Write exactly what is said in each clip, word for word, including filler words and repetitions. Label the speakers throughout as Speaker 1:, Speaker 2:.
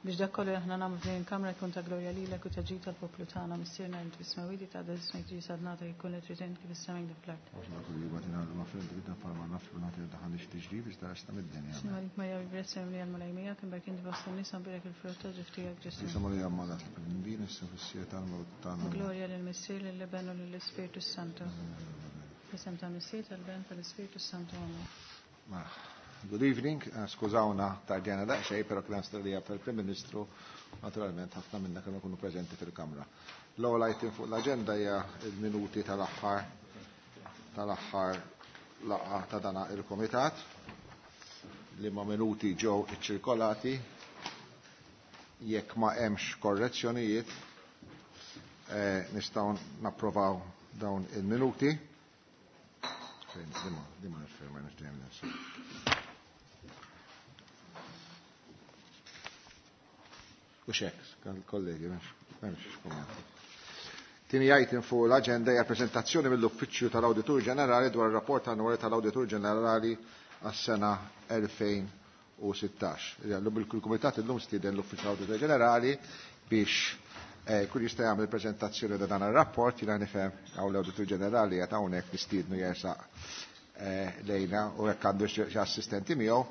Speaker 1: Biex dak kollu aħna nagħmlu f'din il-kamra jkun ta' glorja lilek u ta' ġid tal-poplu tagħna missierna int fis-smewwiet ta' ismek ġie sadnata jkun li trid int kif is-sema kif fl-art. Għalik Marja bil-grazzja mimlija l-Mulej miegħek, imbagħad inti fost in-nisa mbierek il-frott ta' ġuf tiegħek Ġesù. Glorja lill-Missier, lill-Iben u lill-Ispirtu Santu. F'isem tal-Missier, tal-Ben, tal-Ispirtu Santu. Amen.
Speaker 2: Good evening, eh, skużawna tardjana daqsxejn, però kien stedina fil-Prim Ministru, naturalment ħafna minna kienu kunu preżenti fil-Kamra. L-ewwel item fuq l-aġenda hija il-minuti tal-aħħar tal-aħħar laqgħa ta' dana il-Komitat li ma minuti ġew iċċirkolati jekk ma hemmx korrezzjonijiet eh, nistgħu napprovaw dawn il-minuti. Fejn, dima, dima nifirma nixtieq nifsi. U xek, kollegi, m'hemmx kummenti. Tieni item fuq l-aġenda hija prezentazzjoni mill-Uffiċċju tal-Awditur Ġenerali dwar ir-rapport annwali tal-Awditur Ġenerali għas-sena elfejn u sittax. Illum il-Kumitat illum stieden l-Uffiċċju tal-Awditur Ġenerali biex eh, kull jista' jagħmel prezentazzjoni ta' dan ir-rapport. Jiena nifhem hawn l-Awditur Ġenerali qed hawnhekk, nistiednu jersaq eh, lejna u jekk għandu xi assistenti miegħu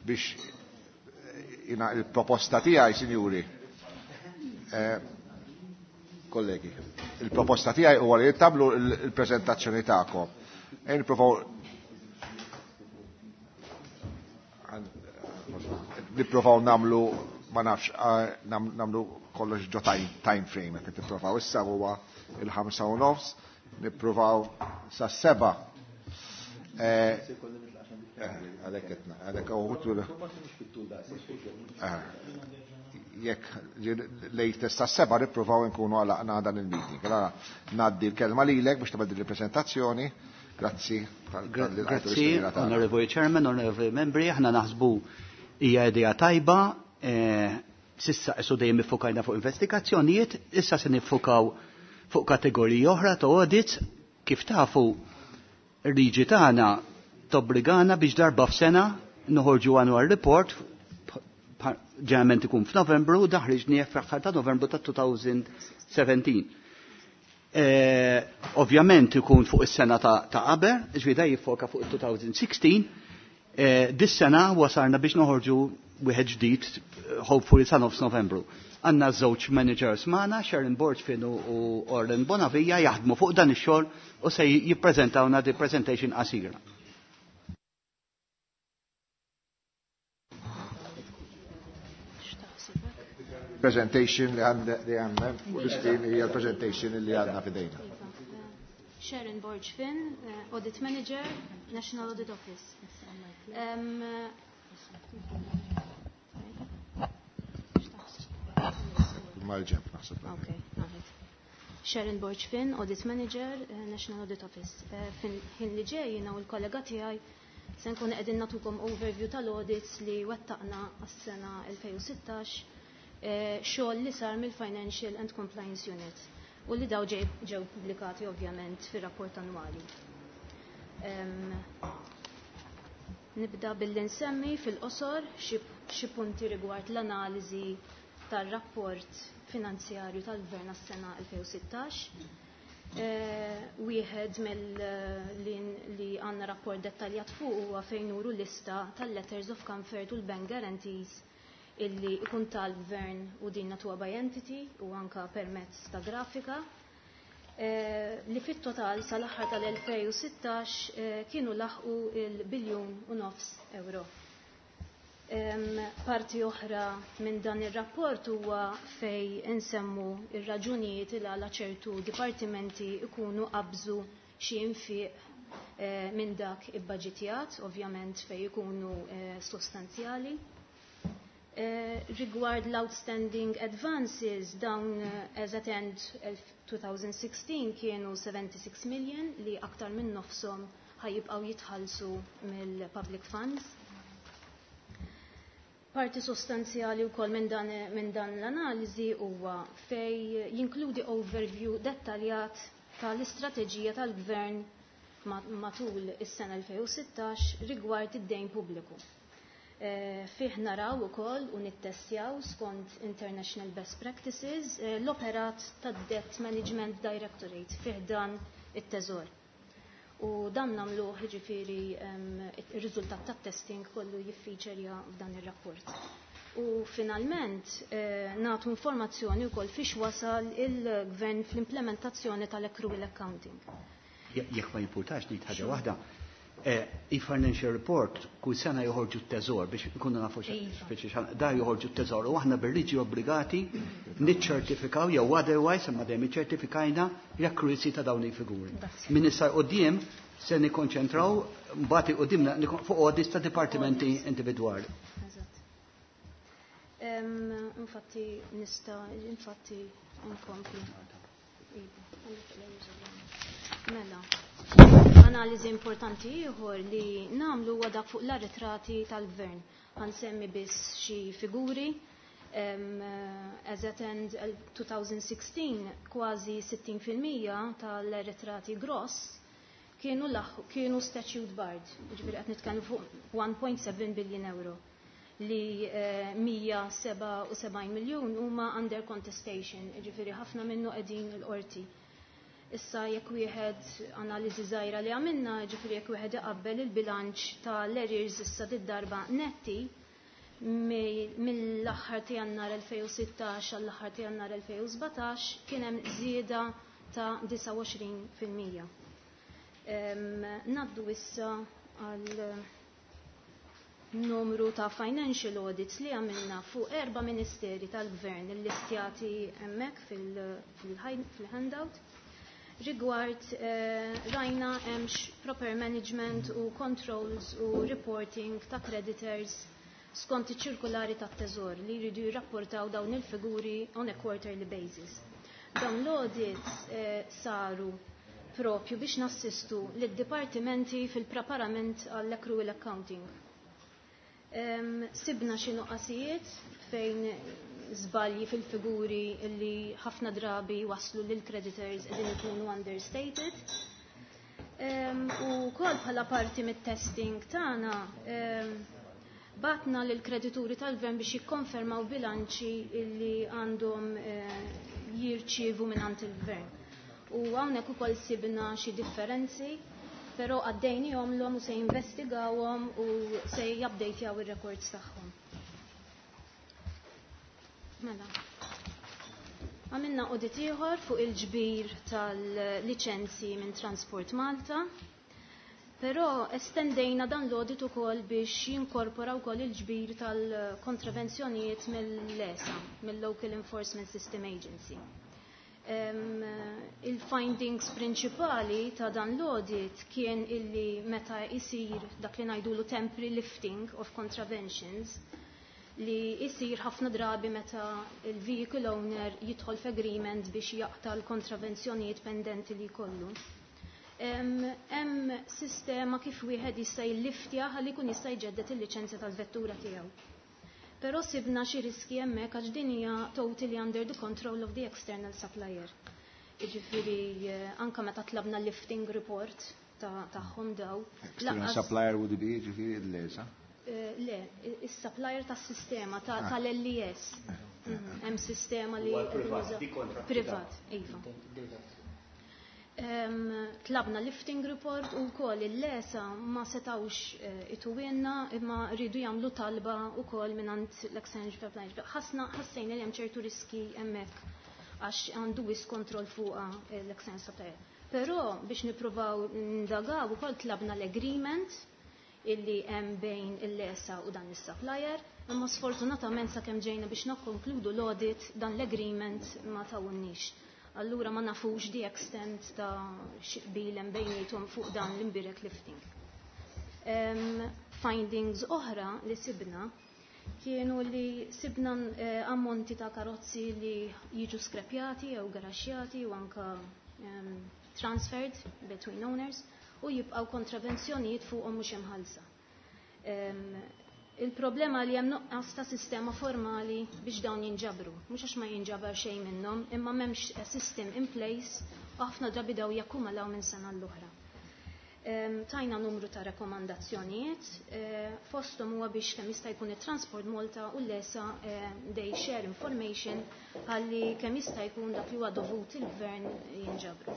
Speaker 2: biex eh, jiena il-proposta tiegħi, sinjuri, Eh, kollegi, il-proposta tiegħi huwa li tagħmlu il-preżentazzjoni tagħkom. E nippruvaw nippruvaw nagħmlu, ma nafx, eh, nagħmlu kollox ġo time frame qed nippruvaw. Issa huwa il-ħamsa u nofs, nippruvaw sa seba. Eh, għalhekk għalhekk jekk latest ta' seba nippruvaw nkunu għalaqna dan il-meeting. Allora ngħaddi l-kelma lilek biex tibda il-prezentazzjoni. Grazzi.
Speaker 3: Grazzi, Honorable Chairman, Honorable Membri, aħna naħsbu hija idea tajba, eh, s'issa qisu dejjem iffokajna fuq investigazzjonijiet, issa se niffokaw fuq kategoriji oħra ta' audits. Kif tafu, il-liġi tagħna tobbligana biex darba f'sena noħorġu annual report, ġeneralment ikun f'Novembru, ħriġnieh fl-aħħar ta' Novembru ta' elfejn u sbatax. Eh, ovvjament ikun fuq is-sena ta' qabel, ġifieri jiffoka fuq il-elfejn u sittax. Eh, dis-sena wasalna biex noħorġu wieħed ġdid, hopefully sa nofs Novembru. Għandna żewġ managers magħna, Sharon Borgfin u Orlen Bonavija, jaħdmu fuq dan ix-xogħol u se jippreżentawna di presentation qasira.
Speaker 2: Presentation li għandna li għandna u l-screen hija l-presentation li għandna f'idejna.
Speaker 4: Sharon Borg Finn, uh, Audit Manager, National Audit Office. Um,
Speaker 2: Mal-ġemp naħseb.
Speaker 4: Okay, Sharon Borg Finn, Audit Manager, uh, National Audit Office. Uh, Ħin li ġej jiena u l-kollega tiegħi se nkun qegħdin nagħtukom overview tal-audits li wettaqna għas-sena elfejn u sittax, xogħol li sar mill-Financial and Compliance Unit u li daw ġew pubblikati ovvjament fir-rapport annwali. Um, nibda billi nsemmi fil-qosor xi punti rigward l-analiżi tar-rapport finanzjarju tal-Gvern għas-sena elfejn u sittax. Eh, wieħed mill li, li għandna rapport dettaljat fuq huwa fejn nuru lista tal-letters of comfort u l-bank guarantees illi ikun tal-gvern u din natuha by entity u anka permezz ta' grafika eh, li fit-total sal-aħħar tal-elfejn u sittax eh, kienu laħqu il-biljun u nofs euro. Parti oħra minn dan ir-rapport huwa fej insemmu ir-raġunijiet il għala ċertu dipartimenti ikunu qabżu xi infiq eh, minn dak ibbaġitjat, ovvjament fej ikunu sostanzjali. Uh, rigward l-outstanding advances, dawn uh, as at end twenty sixteen kienu seventy-six million li aktar minn nofsom ħajibqaw jitħallsu mill-public funds. Parti sostanzjali wkoll minn dan, min dan l-analiżi huwa fej jinkludi overview dettaljat tal-istrateġija tal-gvern matul is-sena elfejn u sittax rigward id-dejn pubbliku. Fih naraw ukoll u nittestjaw skont International Best Practices l-operat tad-Debt Management Directorate fih dan it-teżor. U dan nagħmluh jiġifieri ir-riżultat tat-testing kollu jiffeaturja f'dan ir-rapport. U finalment nagħtu informazzjoni wkoll fiex wasal il-gvern fl-implementazzjoni tal-accrual accounting.
Speaker 3: Jekk ma jimpurtax ngħid ħaġa waħda, il-financial report kull sena joħorġu t-teżor biex nkunu nafu xi da joħorġu t-teżor u aħna bil-liġi obbligati niċċertifikaw jew otherwise imma dejjem iċċertifikajna l-accuracy ta' dawn il-figuri. Min issa quddiem se nikkonċentraw mbagħad quddiem fuq audits ta' dipartimenti individwali.
Speaker 4: Infatti nista' infatti nkompli. Mela. Analiżi importanti ieħor li nagħmlu huwa dak fuq l-arretrati tal-gvern. Ħansemmi biss xi figuri. As at end twenty sixteen, kważi sittin fil-mija tal-arretrati gross kienu kienu statute barred, jiġifieri qed nitkellmu fuq one point seven billion euro li mija seba' u sebgħin miljun huma under contestation, jiġifieri ħafna minnu qegħdin il-qorti. Issa jekk wieħed analiżi żgħira li għamilna, jiġifieri jekk wieħed iqabbel il-bilanċ tal-arrears issa did-darba netti mill-aħħar ta' Jannar elfejn u sittax għall-aħħar ta' Jannar elfejn u sbatax kien hemm żieda ta' disgħa u għoxrin fil-mija. Naddu issa għal numru ta' financial audits li għamilna fuq erba' ministeri tal-gvern illistjati hemmhekk fil-handout. Rigward rajna hemmx proper management u controls u reporting ta' creditors skont iċ-ċirkulari tat-teżor li jridu jirrapportaw dawn il-figuri on a quarterly basis. Dawn l-audits saru propju biex nassistu lid-dipartimenti fil-preparament għall-accrual accounting. Sibna xi nuqqasijiet fejn żbalji fil-figuri li ħafna drabi waslu lil creditors qegħdin ikunu understated. U wkoll bħala parti mit-testing tagħna batna lil kredituri tal-gvern biex jikkonfermaw bilanċi li għandhom jirċievu mingħand il-gvern. U hawnhekk ukoll sibna xi differenzi, però għaddejnihom l-hom u se jinvestigawhom u se jupdatjaw ir-records tagħhom. Mela. Għamilna audit ieħor fuq il-ġbir tal-liċenzji minn Transport Malta, però estendejna dan l-audit ukoll biex jinkorpora wkoll il-ġbir tal-kontravenzjonijiet mill-E S A, mill-Local Enforcement System Agency. Il-findings prinċipali ta' dan l-audit kien illi meta isir dak li ngħidulu temporary lifting of contraventions, li jisir ħafna drabi meta il-vehicle owner jidħol f'agreement biex jaqta' l-kontravenzjonijiet pendenti li jkollu. Hemm sistema kif wieħed jista' jilliftja ħalli jkun jista' jġeddet il-liċenzja tal-vettura tiegħu. Però sibna xi riski hemmhekk għax din hija totally under the control of the external supplier. Jiġifieri anke meta tlabna lifting report tagħhom daw.
Speaker 2: External supplier would be jiġifieri l-E S A?
Speaker 4: Le, is-supplier tas-sistema tal-L E S. Hemm sistema li privat, iva. Tlabna lifting report u wkoll il-L E S A ma setawx ituwienna imma rridu jagħmlu talba wkoll mingħand l-exchange supplier. Ħassna ħassejna li hemm ċertu riski hemmhekk għax għandu wis kontroll fuqha l-exchange supplier. Però biex nippruvaw ndagaw ukoll tlabna l-agreement illi hemm bejn il-L E S A u dan is-supplier, imma sfortunatament sakemm ġejna biex nikkonkludu l-audit dan l-agreement ma tawunniex. Allura ma nafux the extent ta' xi qbil hemm bejniethom fuq dan l-imbirek lifting. Findings oħra li sibna kienu li sibna ammonti ta' karozzi li jiġu skrepjati jew garaxjati u anka transferred between owners u jibqgħu kontravenzjonijiet fuqhom mhux imħallsa. Il-problema li hemm nuqqas ta' sistema formali biex dawn jinġabru. Mhux għax ma jinġabar xejn minnhom, imma m'hemmx system in place u ħafna drabi daw jakkumulaw minn sena l-oħra. Tajna numru ta' rakkomandazzjonijiet, fosthom huwa biex kemm jista' jkun it-Transport Malta u l-E S A they share information ħalli kemm jista' jkun dak li huwa dovut il-gvern jinġabru.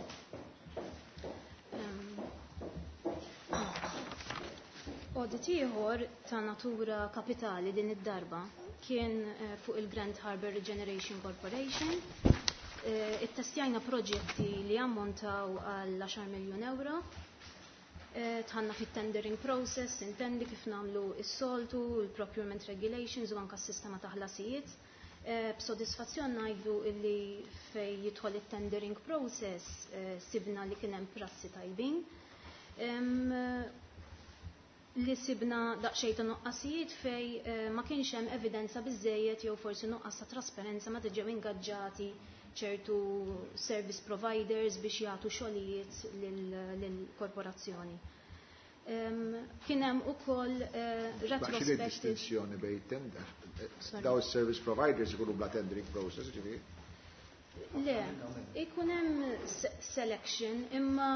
Speaker 4: Audit ieħor ta' natura kapitali din id-darba kien fuq il-Grand Harbour Regeneration Corporation. Ittestjajna proġetti li ammontaw għal għaxar miljun euro. Dħalna fit-tendering process, intendi kif nagħmlu s-soltu, il-procurement regulations u anka s-sistema ta' ħlasijiet. B'sodisfazzjon ngħidu illi fej jidħol it-tendering process sibna li kien hemm prassi tajbin. Li sibna daqsxejn ta' nuqqasijiet fej ma kienx hemm evidenza biżejjed jew forsi nuqqas ta' trasparenza meta ġew ingaġġati ċertu service providers biex jagħtu xogħlijiet lill-korporazzjoni. Kien hemm ukoll retrospective
Speaker 2: distinzjoni bejn tender. Daw service providers ikunu bla tendering process, ġifieri?
Speaker 4: Le, ikun hemm selection imma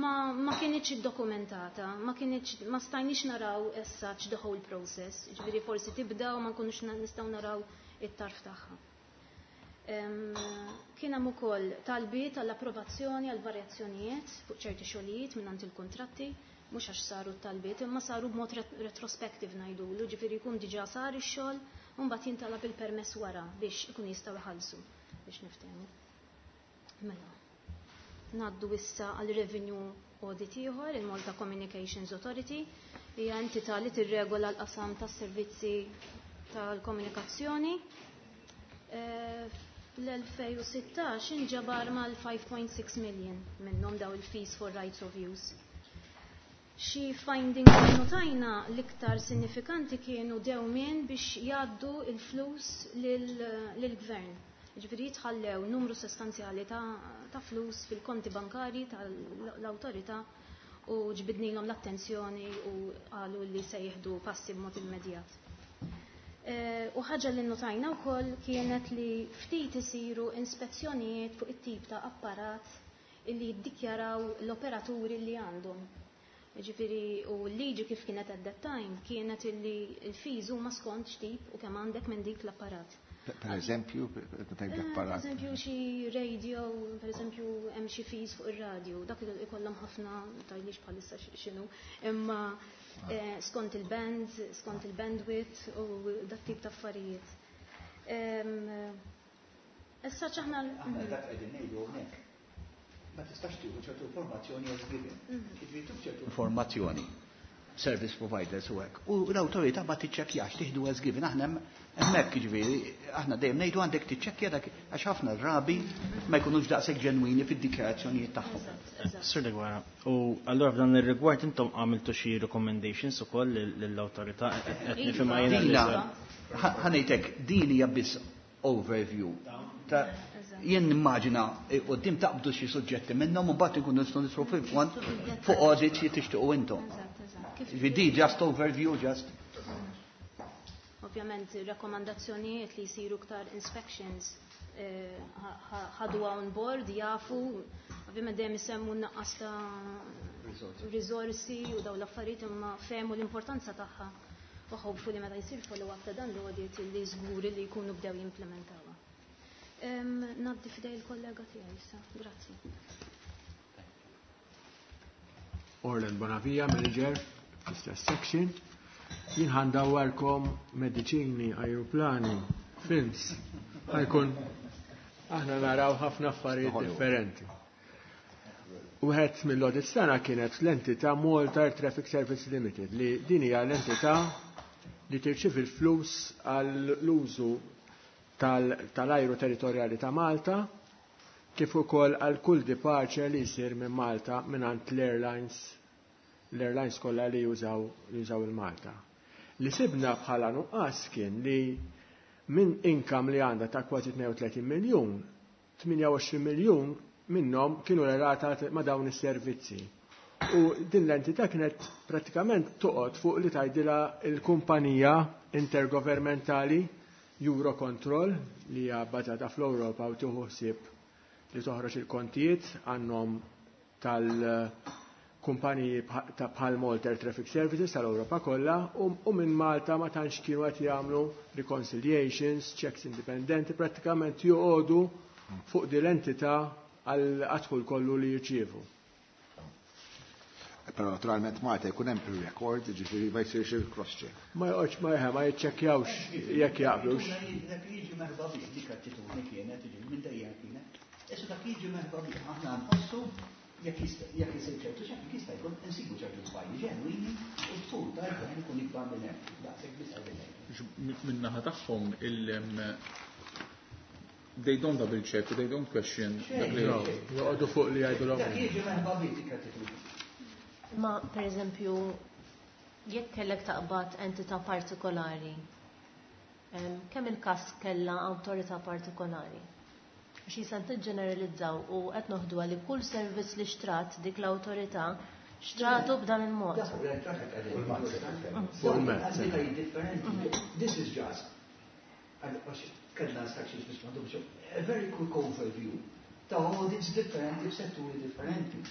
Speaker 4: ma, ma kienitx iddokumentata, ma kienitx, ma stajniex naraw as such the whole process, ġifieri forsi tibda u ma nkunux nistgħu naraw it-tarf tagħha. Kien hemm ukoll talbiet għall-approvazzjoni għal varjazzjonijiet fuq ċerti xogħlijiet mingħand il-kuntratti, mhux għax saru t-talbiet, imma saru b'mod retrospective ngħidulu, ġifieri jkun diġà sar ix-xogħol u mbagħad jintalab il-permess wara biex ikun jistgħu jħallsu biex niftehmu. Mela. Ngħaddu issa għal revenue audit ieħor, il-Malta Communications Authority, hija entità li tirregola l-qasam tas-servizzi tal-komunikazzjoni. Fl-elfejn u sittax inġabar mal-five point six million minnhom daw il-fees for rights of use. Xi findings li notajna l-iktar sinifikanti kienu dewmien biex jgħaddu il-flus lill-gvern. Ġifieri jitħallew numru sostanzjali ta', ta flus fil-konti bankari tal-awtorità u ġbidnilhom l-attenzjoni u qalu li se jieħdu passi b'mod immedjat. U ħaġa li notajna wkoll kienet li ftit isiru ispezzjonijiet fuq it-tip ta' apparat illi jiddikjaraw l-operaturi li għandhom. Ġifieri u l-liġi kif kienet at that time kienet illi l-fees huma skont x'tip u kemm għandek minn dik l-apparat.
Speaker 2: Per eżempju, tajb l-apparat.
Speaker 4: Per eżempju, xi radio, per eżempju, hemm xi fees fuq ir-radio, dak ikollhom ħafna, tgħidlix bħalissa x'inhu, imma skont il-bands, skont il-bandwidth u dat tip ta' affarijiet. Issa ċaħna.
Speaker 3: Aħna dak qegħdin ngħidu hawnhekk. Ma tistax tieħu ċertu informazzjoni as given. Jiġifieri tieħu ċertu informazzjoni service providers u hekk. U l-awtorità ma tiċċekkjax, tieħdu as given. Aħna hemmhekk, jiġifieri aħna dejjem ngħidu għandek tiċċekkja dak għax ħafna drabi ma jkunux daqshekk ġenwini fid-dikjarazzjonijiet tagħhom.
Speaker 5: Sur Deguara, u allura f'dan ir-rigward intom għamiltu xi recommendations ukoll lill-awtorità, qed nifhimha jiena?
Speaker 3: Ħa ngħidlek, din hija biss overview. Jien nimmaġina quddiem taqbdu xi suġġetti minnhom u mbagħad ikunu nistgħu nidħlu fil-fond fuq audits li tixtiequ intom. Di just overview, just.
Speaker 4: Ovvjament, rakkomandazzjonijiet li jsiru ktar inspections ħadu on board, jafu, ovvjament dejjem isemmu naqqas ta' risorsi u daw l-affarijiet, imma fehmu l-importanza tagħha u hopefully meta jsir follow-up ta' dan l-audit li żguri li jkunu bdew jimplementawha. Ngħaddi f'idej il-kollega tiegħi issa. Grazzi.
Speaker 6: Orlen Bonavia, manager fl-istess section. Jien ħa ndawwarkom mediċini, ajruplani, films. Ħa jkun aħna naraw ħafna affarijiet differenti. Wieħed mill-audit sena kienet l-entità Malta Air Traffic Service Limited, li din hija l-entità li tirċivi l-flus għall-użu tal-ajru territorjali ta' Malta kif ukoll għal kull departure li jsir minn Malta mingħand l-airlines l-airlines kollha li jużaw li jużaw il-Malta. Li sibna bħala nuqqas kien li minn income li għandha ta' kważi tnejn u tletin miljun, tmienja u għoxrin miljun minnhom kienu relatati ma' dawn is-servizzi. U din l-entità kienet pratikament toqgħod fuq li tgħidilha il-kumpanija intergovernmentali Eurocontrol, li hija bbażata fl-Ewropa u tieħu ħsieb li toħroġ il-kontijiet għannom tal kumpaniji ta' bħal Malta Air Traffic Services tal-Ewropa kollha u minn Malta ma tantx kienu qed jagħmlu reconciliations, checks indipendenti, prattikament joqogħdu fuq din l-entità għal dħul kollu li jirċievu.
Speaker 2: Però naturalment Malta jkun hemm pre-record, ġifieri ma jsirx il-cross check.
Speaker 6: Ma joqgħodx ma ma jiċċekkjawx jekk jaqblux.
Speaker 3: Dak jiġi merħba bih, dik attitudni kienet, minn dejjem kienet. Issa dak jiġi merħba bih, aħna nħossu jekk jisir ċertu ċekk jista' jkun insibu ċertu żbalji ġenwini u d-dħul tal-gvern ikun ikbar minn hemm. Daqshekk biss għal
Speaker 7: Min-naħa tagħhom il they don't double check, they don't question.
Speaker 6: Joqogħdu fuq li jgħidulhom.
Speaker 3: Dak jiġi merħba bih dik attitudni.
Speaker 4: Ma per eżempju, jekk kellek taqbad entità partikolari, kemm il-każ kellha awtorità partikolari? Għax jisan tiġġeneralizzaw u qed noħdu li kull servizz li xtrat dik l-awtorità xtratu b'dan il-mod.
Speaker 3: This is just, kellna instructions biex m'għandhomx, a very quick overview ta' audits differenti f'setturi differenti.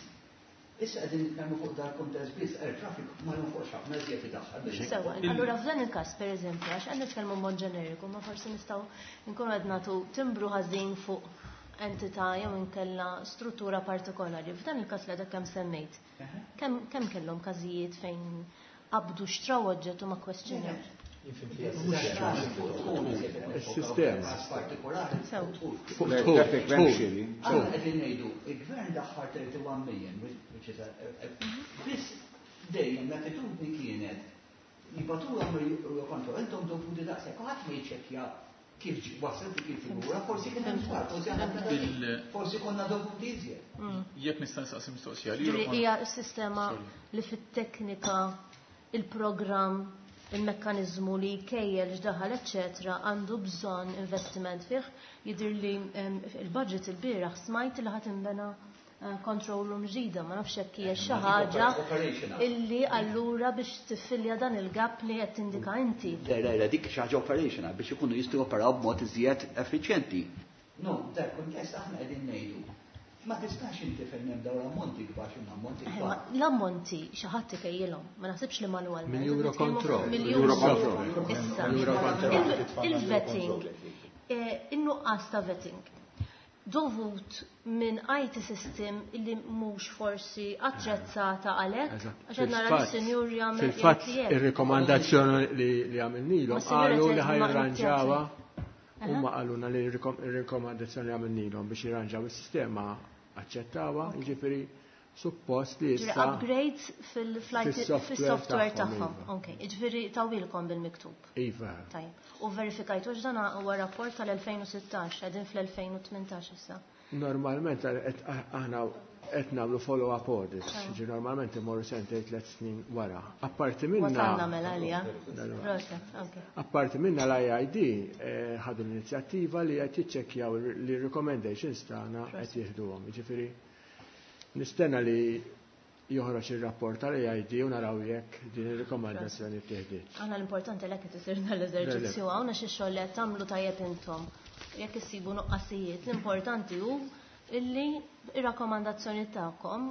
Speaker 3: Issa qegħdin nitkellmu fuq dar kuntest biss, air traffic ma jonfoqx ħafna iżjed idaħħal biex.
Speaker 4: Sewa, allura f'dan il-każ pereżempju, għax qed nitkellmu mod ġeneriku, ma forsi nistgħu nkunu qed nagħtu timbru ħażin fuq entità jew inkella struttura partikolari. F'dan il-każ li għadek kemm semmejt, kemm kellhom każijiet fejn qabdu xtraw oġġett u ma kwestjonew?
Speaker 6: Il-sistema.
Speaker 3: Aħna qegħdin ngħidu, il-gvern daħħal thirty-one million, which is a biss dejjem l-attitudni kienet jibatulhom il-kontroll, intom dovuti daqshekk, ħadd ma jiċċekkja kif waslet dik il-figura, forsi kien hemm żball, forsi aħna forsi konna dovuti iżjed.
Speaker 7: Jekk nista' nistaqsi mistoqsija.
Speaker 4: Hija s-sistema li fit-teknika, il-programm, il-mekkanizmu li jkejjel x'daħal eċċetera għandu bżonn investiment fih. Jidher li il-budget il-bieraħ smajt li ħadd inbena control room ġdida, ma nafx hekk hija xi ħaġa illi allura biex tiffilja dan il-gap li qed tindika inti.
Speaker 3: Le, le, le, dik xi ħaġa operational biex ikunu jistgħu operaw b'mod iżjed effiċjenti. No, dak kuntest aħna qegħdin ngħidu. Ma tistax inti fejn hemm dawn l-ammonti kbar xi ammonti kbar.
Speaker 4: L-ammonti xi ħadd ikejjilhom, ma naħsibx li manwalment.
Speaker 6: Minn Eurocontrol.
Speaker 4: Mill-Eurocontrol. Issa. Il-vetting, in-nuqqas ta' vetting dovut minn I T system illi mhux forsi attrezzata għalhekk, għax qed nara l-sinjur jagħmel.
Speaker 6: Fil-fatt ir-rikomandazzjoni li għamilnilhom qalu li ħajranġawha, huma qalulna li r-rikomandazzjoni li għamilnilhom biex jirranġaw is-sistema aċċettawha, jiġifieri suppost li issa
Speaker 4: upgrades fil-software tagħhom. Okej, jiġifieri tawilkom bil-miktub.
Speaker 6: Iva.
Speaker 4: Tajjeb. U verifikajtu x'dan huwa rapport tal-elfejn u sittax, qegħdin fl-elfejn u tmintax issa.
Speaker 6: Normalment aħna qed nagħmlu follow-up audits, ġi normalment imorru sentejn tliet snin wara. Apparti minna.
Speaker 4: Wasalna mela għalija. Proset, okej.
Speaker 6: Apparti minna l-I I D ħadu l-inizjattiva li qed jiċċekkjaw li recommendations tagħna qed jieħduhom. Jiġifieri nistenna li joħroġ ir-rapport tal-A I D u naraw jekk din ir-rikomandazzjoni ttieħdiet.
Speaker 4: Aħna l-importanti l qed isir dan l-eżerċizzju hawn għax ix-xogħol li qed tagħmlu tajjeb intom. Jekk issibu nuqqasijiet, l-importanti hu illi ir-rakkomandazzjoni tagħkom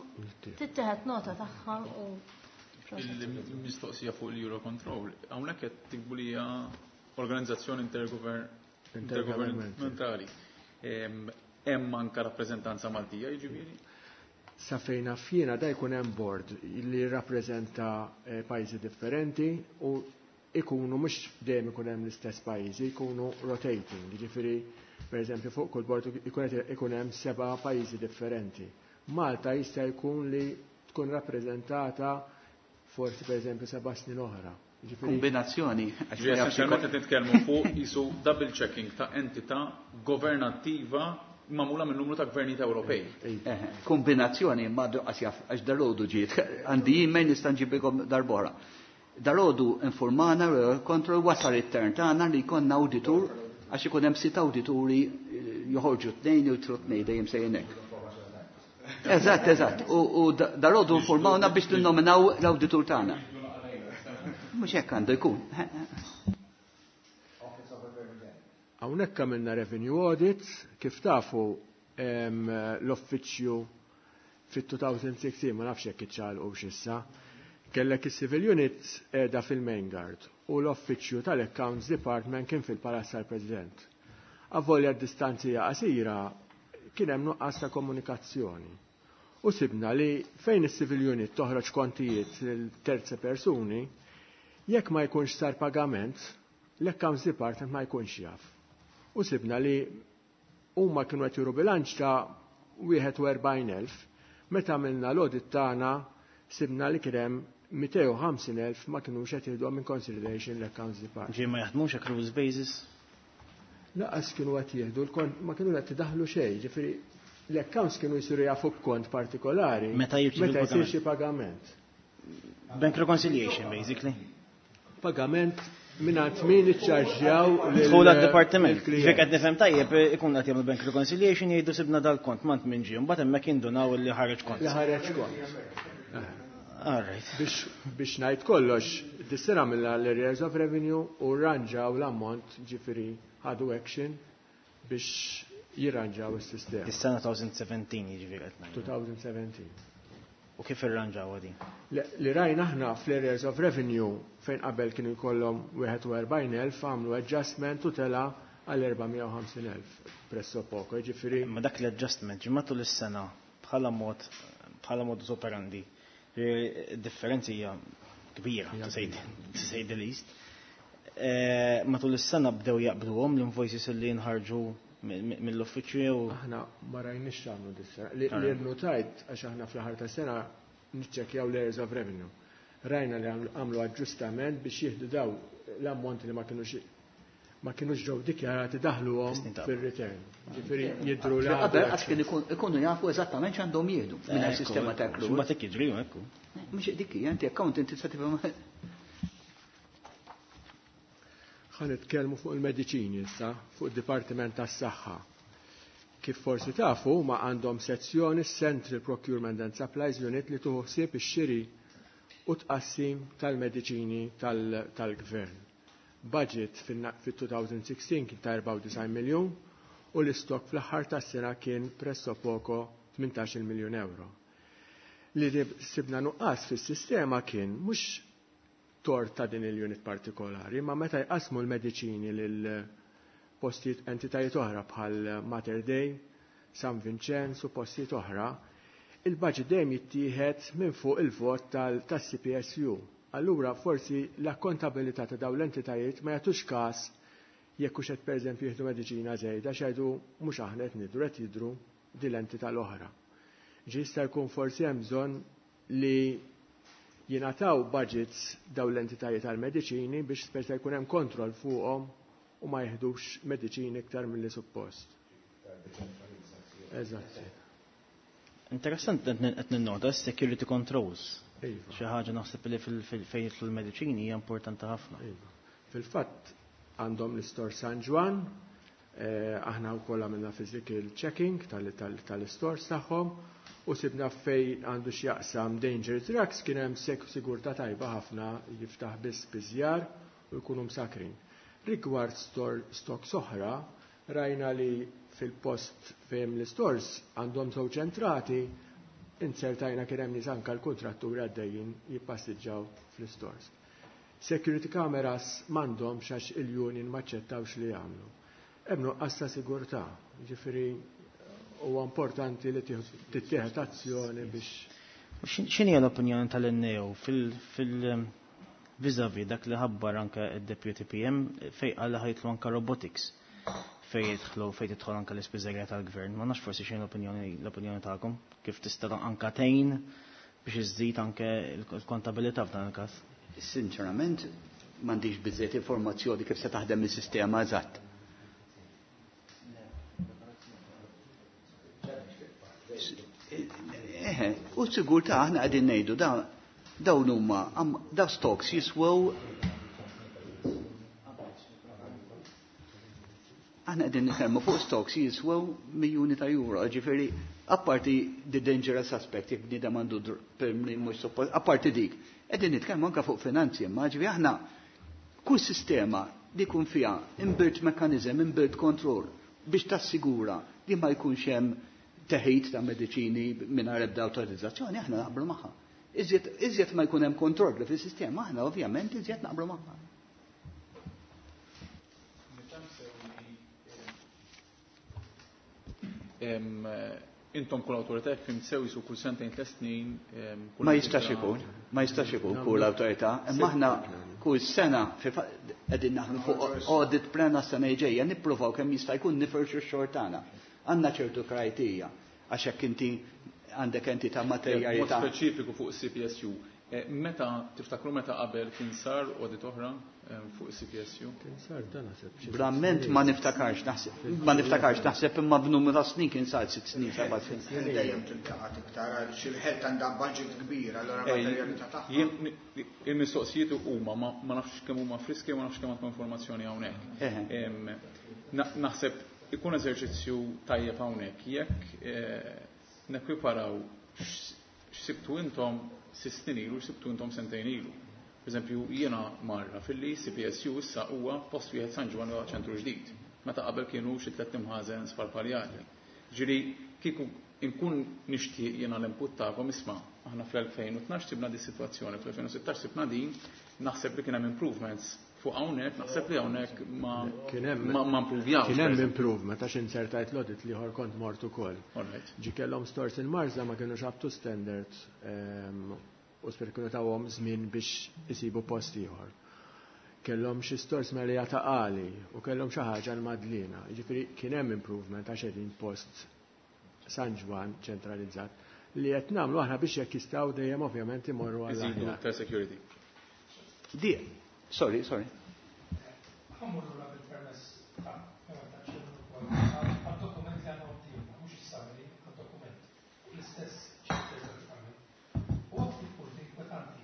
Speaker 4: tittieħed nota tagħha u
Speaker 7: Il-mistoqsija fuq l-Eurocontrol, hawnhekk qed tikbu li hija organizzazzjoni intergovernamentali. Hemm anke rappreżentanza Maltija, jiġifieri?
Speaker 6: Sa fejn naf jiena da jkun hemm board li jirrappreżenta pajjiżi differenti u ikunu mhux dejjem ikun hemm l-istess pajjiżi, jkunu rotating, jiġifieri pereżempju fuq kull board ikun hemm seba' pajjiżi differenti. Malta jista' jkun li tkun rappreżentata forsi pereżempju seba' snin oħra. Jiġifieri
Speaker 3: Kombinazzjoni, għax ma jafx
Speaker 7: Essenzjalment qed nitkellmu fuq isu double checking ta' entità governattiva magħmula minn numru ta' gvernijiet Ewropej.
Speaker 3: Eh, kombinazzjoni ma għax jaf, għax dalodu ġiet, għandi email nista' nġibilkom darbora. Dalodu informana kontrol wasal it-tern tagħna li jkollna awditur għax ikun hemm sitt awdituri joħorġu tnejn u jitlu tnejn dejjem sejjin hekk. Eżatt, eżatt. U dalodu informawna biex ninnominaw l-awditur tagħna. Mhux hekk għandu jkun.
Speaker 6: Hawnhekk għamilna revenue audits, kif tafu, em, l-uffiċċju fit-twenty sixteen, ma nafx jekk iċċaqalqu x'issa, kellek is-Civil Unit qiegħda fil-Main Guard u l-Uffiċċju tal-Accounts Department kien fil-Palazz tal-President. Avolja d-distanzi qasira, kien hemm nuqqas ta' komunikazzjoni. U sibna li fejn is-Civil Unit toħroġ kontijiet lil terze persuni, jekk ma jkunx sar pagament, l-Accounts Department ma jkunx jaf. U sibna li huma kienu qed juru bilanċ ta' wieħed u erbgħin elf, meta għamilna l-audit tagħna sibna li kien hemm mitejn u ħamsin elf ma kinux qed jieħduhom in consideration l-Accounts Department.
Speaker 5: Ġie ma jaħdmux accruals basis?
Speaker 6: Lanqas kienu qed jieħdu l-kont, ma kienu qed idaħlu xejn, ġifieri l-accounts kienu jsiru jafu b'kont partikolari
Speaker 5: meta jirċievu
Speaker 6: meta jsir
Speaker 5: l-pagament.
Speaker 6: Xi pagament.
Speaker 5: Bank reconciliation, basically.
Speaker 6: Pagament mingħand min iċċarġjaw lil-
Speaker 5: Dħul għad-departiment.
Speaker 6: lill-klient.
Speaker 5: Ġifieri qed nifhem tajjeb, ikun qed jagħmlu bank reconciliation, jgħidu sibna dal-kont, mant minn ġie, mbagħad hemmhekk jindunaw li ħareġ kont.
Speaker 6: Li ħareġ kont.
Speaker 5: All right.
Speaker 6: Biex, biex ngħid kollox, dis-sena mill l-arrears of revenue u rranġaw l-ammont, ġifieri ħadu action biex jirranġaw is-sistema.
Speaker 5: Is-sena twenty seventeen jiġifieri qed ngħidu.
Speaker 6: twenty seventeen.
Speaker 5: U kif irranġaw din?
Speaker 6: Li li rajna aħna fl-arrears of revenue, fejn qabel kienu jkollhom wieħed u erbgħin elf, għamlu adjustment u tela għal erba' mija u ħamsin elf presso poco, ġifieri
Speaker 5: Ma dak l-adjustment ġi matul is-sena bħala mod bħala modus operandi. Differenzi hija kbira, to say, to say the least. Eh, Matul is-sena bdew jaqbduhom l-invoices li jinħarġu mill-uffiċċju jew
Speaker 6: Aħna ma rajniex x'għamlu dis-sena. Li li rnotajt, għax aħna fl-aħħar ta' sena niċċekkjaw l-arrears of revenue. Rajna li għamlu- għamlu aġġustament biex jieħdu daw l-ammonti li ma kienux ma kienux ġew dikjarati, daħluhom
Speaker 5: Tisnin ta'
Speaker 6: fil-return. Ġifieri jidhru li
Speaker 3: Qabel
Speaker 6: għamlu
Speaker 3: għax kien ikun- ikunu jafu eżattament x'għandhom jieħdu minn sistema ta' accrual.
Speaker 5: Mbagħad hekk jiġri hekk.
Speaker 3: Mhux dik hija, inti accountant tista' tifhem.
Speaker 6: Ħa nitkellmu fuq il-mediċini issa, fuq id-Dipartiment tas-Saħħa. Kif forsi tafu, ma għandhom sezzjoni Central Procurement and Supplies Unit li tieħu ħsieb ix-xiri u tqassim tal-mediċini tal-gvern. Budget fit-twenty sixteen kien ta' erbgħa u disgħin miljun u l-istok fl-aħħar tas-sena kien presso poco tmintax-il miljun euro. Li sibna nuqqas fis-sistema kien mhux tort ta' din il-unit partikolari, ma meta jqasmu l-mediċini lil postijiet, entitajiet oħra bħal Mater Dei, San Vincenz u postijiet oħra, il-budget dejjem jittieħed minn fuq il-vot tas-C P S U. Allura forsi l-akkontabilità ta' dawn l-entitajiet ma jagħtux każ jekk hux qed, pereżempju, jieħdu mediċina żejda, x'jgħidu mhux aħna qed nidru, qed jidru din l-entità l-oħra. Ġi jista' jkun forsi hemm bżonn li jingħataw budgets dawn l-entitajiet tal-mediċini biex speċa jkun hemm kontroll fuqhom u ma jieħdux mediċini iktar milli suppost. Eżatt.
Speaker 5: Interessant, qed ninnota security controls.
Speaker 6: Iva.
Speaker 5: Xi ħaġa naħseb li fejn jidħlu l-mediċini hija importanti ħafna.
Speaker 6: Iva. Fil-fatt għandhom l-istor San Ġwann, eh, aħna wkoll għamilna physical checking tal-istores tagħhom u sibna fej għandu x'jaqsam dangerous drugs kien hemm sigurtà tajba ħafna, jiftaħ biss biżjar u jkunu msakrin. Rigward store stocks oħra, rajna li fil-post fejn l-stores għandhom żewġ ċentrati, insertajna kien hemm nies, anke l-kontratturi għaddejjin jippassiġġaw fl-stores. Security cameras m'għandhomx għax il-union maċċettawx li jagħmlu. Hemm nuqqas ta' sigurtà, ġifieri huwa importanti li tittieħed azzjoni biex
Speaker 5: X'inhi l-opinjoni tal-N A O fil- fil vis-a-vis dak li ħabbar anke id-Deputy P M fej qal li ħa jidħlu anke robotics fej jidħlu fej tidħol anke l-ispiżerja tal-gvern? Ma nafx, forsi xejn l-opinjoni l-opinjoni tagħkom kif tista' anke tgħin biex iżżid anke l-kontabilità f'dan il-każ.
Speaker 3: Sinċerament, m'għandix biżejjed informazzjoni kif se taħdem is-sistema eżatt. Eħe, u sigurtà aħna qegħdin ngħidu da dawn huma daw stocks jiswew, aħna qegħdin nitkellmu fuq stocks jiswew miljuni ta' euro, ġifieri apparti the dangerous aspect jekk bniedem għandu mhux suppost, apparti dik, qegħdin nitkellmu anke fuq finanzi, imma ġifieri aħna kull sistema li jkun fiha inbuilt mechanism, inbuilt control biex tassigura li ma jkunx hemm teħid ta' mediċini mingħajr ebda awtorizzazzjoni, aħna naqblu magħha. Iżjed iżjed ma jkun hemm kontrolli fis-sistema, aħna ovvjament iżjed naqblu magħha.
Speaker 7: Intom kull awtorità jekk fhimt sew jisu kull sentejn tliet snin.
Speaker 3: Ma jistax ikun, ma jistax ikun kull awtorità, imma aħna kull sena qegħdin naħdmu fuq audit plan għas-sena ġejja nippruvaw kemm jista' jkun nifirxu x-xogħol tagħna. Għandna ċertu kriterja għax hekk inti għandek entità materjali
Speaker 7: ta' speċifiku fuq C P S U. Meta tiftakru meta qabel kien sar audit oħra fuq C P S U?
Speaker 6: Kien sar dan naħseb.
Speaker 3: Verament ma niftakarx naħseb, ma niftakarx naħseb imma b'numru ta' snin kien sar sitt snin, seba' snin.
Speaker 8: Dejjem tiltaqa' iktar għaliex il-ħelt għandha budget kbir, allura materjalità tagħha.
Speaker 7: Il-mistoqsijiet huma ma nafx kemm huma friski, ma nafx kemm għandkom informazzjoni hawnhekk. Naħseb ikun eżerċizzju tajjeb hawnhekk jekk nekwiparaw x'sibtu intom sitt snin ilu, x'sibtu intom sentejn ilu. Per eżempju, jiena marra fil-li C P S U issa huwa post wieħed San Ġwann huwa ċentru ġdid, meta qabel kienu xi tliet imħażen sparpaljati. Ġieli kieku inkun nixtieq jiena l-input tagħkom isma' aħna fl-elfejn u tnax sibna di sitwazzjoni, fl-elfejn u sittax sibna din, naħseb li kien hemm improvements fuq hawnhekk, naħseb li hawnhekk ma ma improvjawx.
Speaker 6: Kien hemm improvement għax insertajt l-audit li ieħor kont mort ukoll. Ġi kellhom stores il-Marsa ma kienux up to standard u sper kienu tawhom żmien biex isibu post ieħor. Kellhom xi stores Marija ta' Qali u kellhom xi ħaġa l-Madlina. Jiġifieri kien hemm improvement għax qegħdin post San Ġwann ċentralizzat li qed nagħmlu aħna biex jekk jistgħu dejjem ovvjament imorru għal
Speaker 7: Iżidu aktar security.
Speaker 3: Di, sorry, sorry.
Speaker 9: Ħammur lura bil-permess ta' għad-dokument li għandna quddiemna, mhux is-summary, għad-dokument. L-istess chapter eżattament. U għad ftit punti inkwetanti.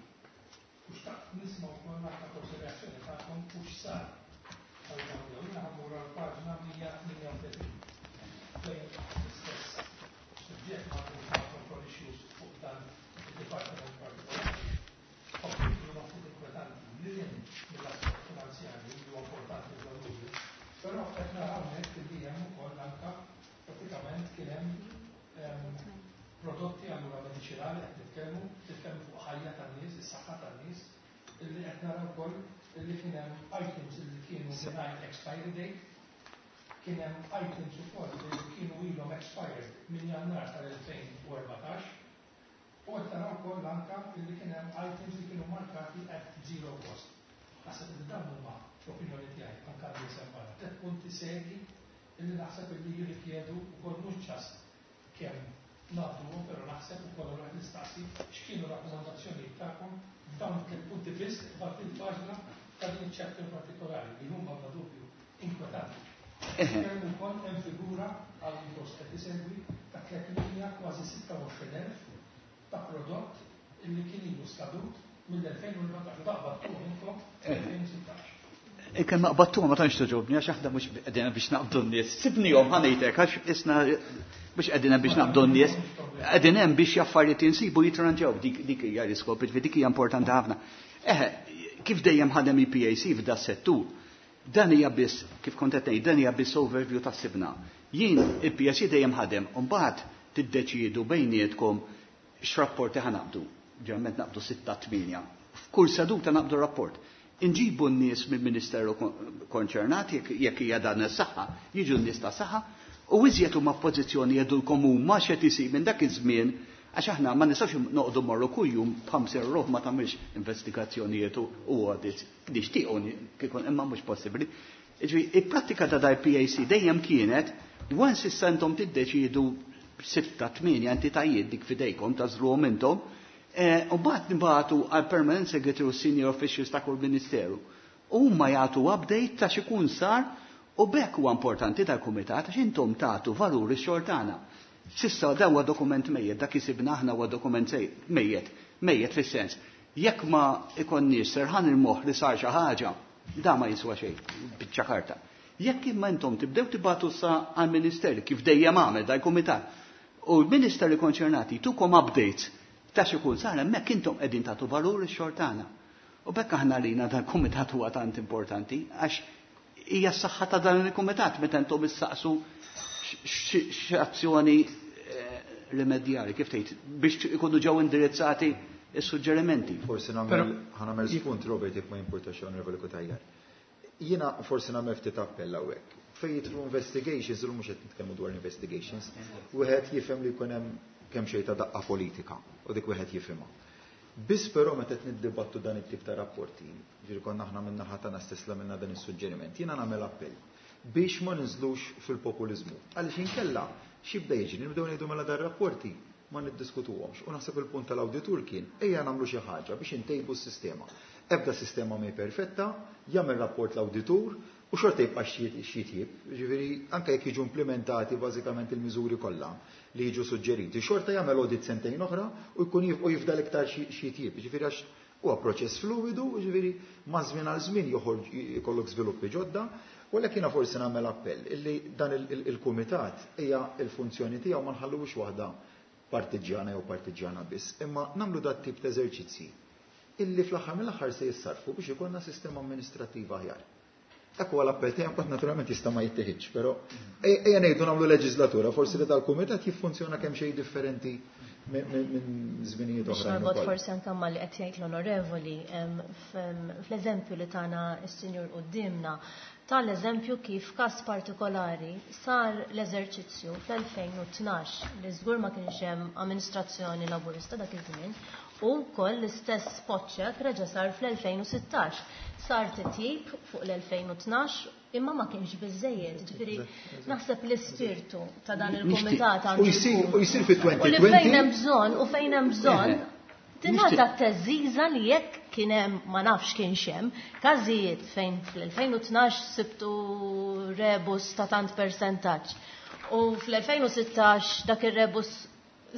Speaker 9: U xtaqt nisma' wkoll naqra forsi reazzjoni tagħkom u x'sar għal dawn jew jiena ħammur għal paġna mija tmienja u tletin. Fejn l-istess suġġett ma' control issues fuq dan id-dipartiment partikolari. Ovvjament huma ftit inkwetanti li jien mill-aspett finanzjarju li huwa importanti bla dubju, però qed naraw hawnhekk li hemm ukoll anke pratikament kien hemm prodotti allura mediċinali qed nitkellmu, nitkellmu fuq ħajja tan-nies, is-saħħa tan-nies, illi qed naraw ukoll illi kien hemm items illi kienu mingħajr expiry date, kien hemm items ukoll li kienu ilhom expired minn Jannar tal-elfejn u erbatax, u qed naraw ukoll anke illi kien hemm items li kienu markati at zero cost. Naħseb li dawn huma l-opinjoni tiegħi anke li semma tliet punti serji illi naħseb illi jirrikjedu wkoll mhux ċast kemm nagħduhom, però naħseb ukoll allura qed nistaqsi x'kienu rakkomandazzjonijiet tagħkom f'dawn it-tliet punti biss f'din il-paġna ta' din iċ-chapter partikolari li huma bla dubju inkwetanti. Nitkellmu wkoll hemm figura għal min forsi qed isegwi ta' tliet mija kważi sitta u għoxrin elf ta' prodott illi kien ilu skadut mill-elfejn u erbatax u daqbadtuhom intom fl-elfejn u sittax.
Speaker 3: Kemm ma qbadtuhom ma tantx toġobni għax aħna mhux qegħdin biex naqbdu n-nies. Sibnihom ħanejtek għax isna mhux qegħdin biex naqbdu n-nies, qegħdin hemm biex affarijiet insibu jitranġaw dik, dik hija l-iskop, ġifieri dik hija importanti ħafna. Eħe, kif dejjem ħadem il-P A C f'da settur, dan hija biss, kif kont qed ngħid, dan hija biss overview ta' sibna. Jien il-P A C dejjem ħadem, u mbagħad tiddeċiedu bejnietkom x'rapporti ħa naqbdu. Ġeneralment naqbdu sitta tmienja. F'kull seduta naqbdu rapport. Inġibu n-nies mill-Ministeru konċernat, jekk, jekk hija dan is-saħħa, jiġu n-nies ta' saħħa, u iżjed huma f'pożizzjoni jgħidulkom huma x'qed isir minn dak iż-żmien, għax aħna ma nistgħux noqogħdu mmorru kuljum b'ħamsin ruħ ma tagħmilx investigazzjonijiet u, u audits. Nixtiequ kieku imma mhux possibbli. Jiġifieri, il-prattika ta' dal P A C dejjem kienet, once issa intom tiddeċiedu sitta tmienja entitajiet dik fidejkom tażruhom intom, eh, u mbagħad nibagħtu għal permanent secretary u senior officials ta' kull ministeru. U huma jagħtu update ta' x'ikun sar u b'hekk huwa importanti tal-kumitat għax intom tagħtu valur ix-xogħol tagħna. Sissa dan huwa dokument mejjet, dak isibna aħna huwa dokument mejjet, mejjet fis-sens. Jekk ma ikonniex serħan il-moħħ li sar xi ħaġa, da ma jiswa xejn, biċċa karta. Jekk imma intom tibdew tibgħatu sa għall-Ministeri kif dejjem għamel dal-kumitat, u l-Ministeri konċernati tukom updates ta' xi jkun sar hemmhekk intom qegħdin tagħtu valur ix-xogħol tagħna. U b'hekk aħna lina dal-kumitat huwa tant importanti għax hija s-saħħa ta' dan il-kumitat meta intom issaqsu x'azzjoni rimedjali, kif tgħid, biex ikunu ġew indirizzati is-suġġerimenti.
Speaker 10: Forsi nagħmel ħa nagħmel spunt, Robert, jekk ma jimpurtax, Onorevoli Cutajar. Jiena forsi nagħmel ftit appell hawnhekk. Fejn jidħlu investigations, illum mhux qed nitkellmu dwar investigations, wieħed jifhem li jkun hemm kemm xejn ta' daqqa politika u dik wieħed jifhimha. Biss però meta qed niddibattu dan it-tip ta' rapporti, ġifieri konna aħna minn naħa tagħna stess li għamilna dan is-suġġeriment, jiena nagħmel appell biex ma ninżlux fil-populiżmu. Għaliex inkella x'jibda jiġri, nibdew ngħidu mela dar rapporti ma niddiskutuhomx. U naħseb il-punt tal-awditur kien ejja nagħmlu xi ħaġa biex intejbu s-sistema. Ebda sistema mhi perfetta, jagħmel rapport l-awditur u xorta jibqa' x'jitjib. Ġifieri anke jekk jiġu implementati bażikament il-miżuri kollha li jiġu suġġeriti, xorta jagħmel audit sentejn oħra u jkun u jifdal iktar x'jitjib. Ġifieri għax huwa proċess fluidu, ġifieri ma' żmien għal żmien joħorġ ikollok żviluppi ġodda. U għalhekk jiena forsi nagħmel appell illi dan il-kumitat hija l-funzjoni tiegħu ma nħallux waħda partiġġjana jew partiġġjana biss, imma nagħmlu dat tip ta' eżerċizzji illi fl-aħħar mill-aħħar se jissarfu biex ikollna sistema amministrattiva aħjar. Dak huwa l-appell tiegħi, mbagħad naturalment jista' ma jittieħidx, però ejja ngħidu nagħmlu leġislatura, forsi li tal-kumitat jiffunzjona kemm xejn differenti minn żminijiet oħra.
Speaker 11: Norbot forsi anke ma li qed jgħid l-onorevoli, fl-eżempju li tana s-sinjur quddiemna, tal-eżempju kif każ partikolari sar l-eżerċizzju fl-elfejn u tnax li żgur ma kienx hemm amministrazzjoni laburista dak iż-żmien, u wkoll l-istess spot check reġa' sar fl-elfejn u sittax. Sar titjib fuq l-elfejn u tnax imma ma kienx biżejjed. Ġifieri naħseb l-ispirtu ta' dan il-kumitat għandu
Speaker 10: U jsir, u jsir fi
Speaker 11: U li fejn hemm bżonn, u fejn hemm bżonn tingħata t-teżiża li jekk kien hemm, ma nafx kienx hemm, każijiet fejn fl-elfejn u tnax sibtu rebus ta' tant percentaġġ. U fl-elfejn u sittax dak ir-rebus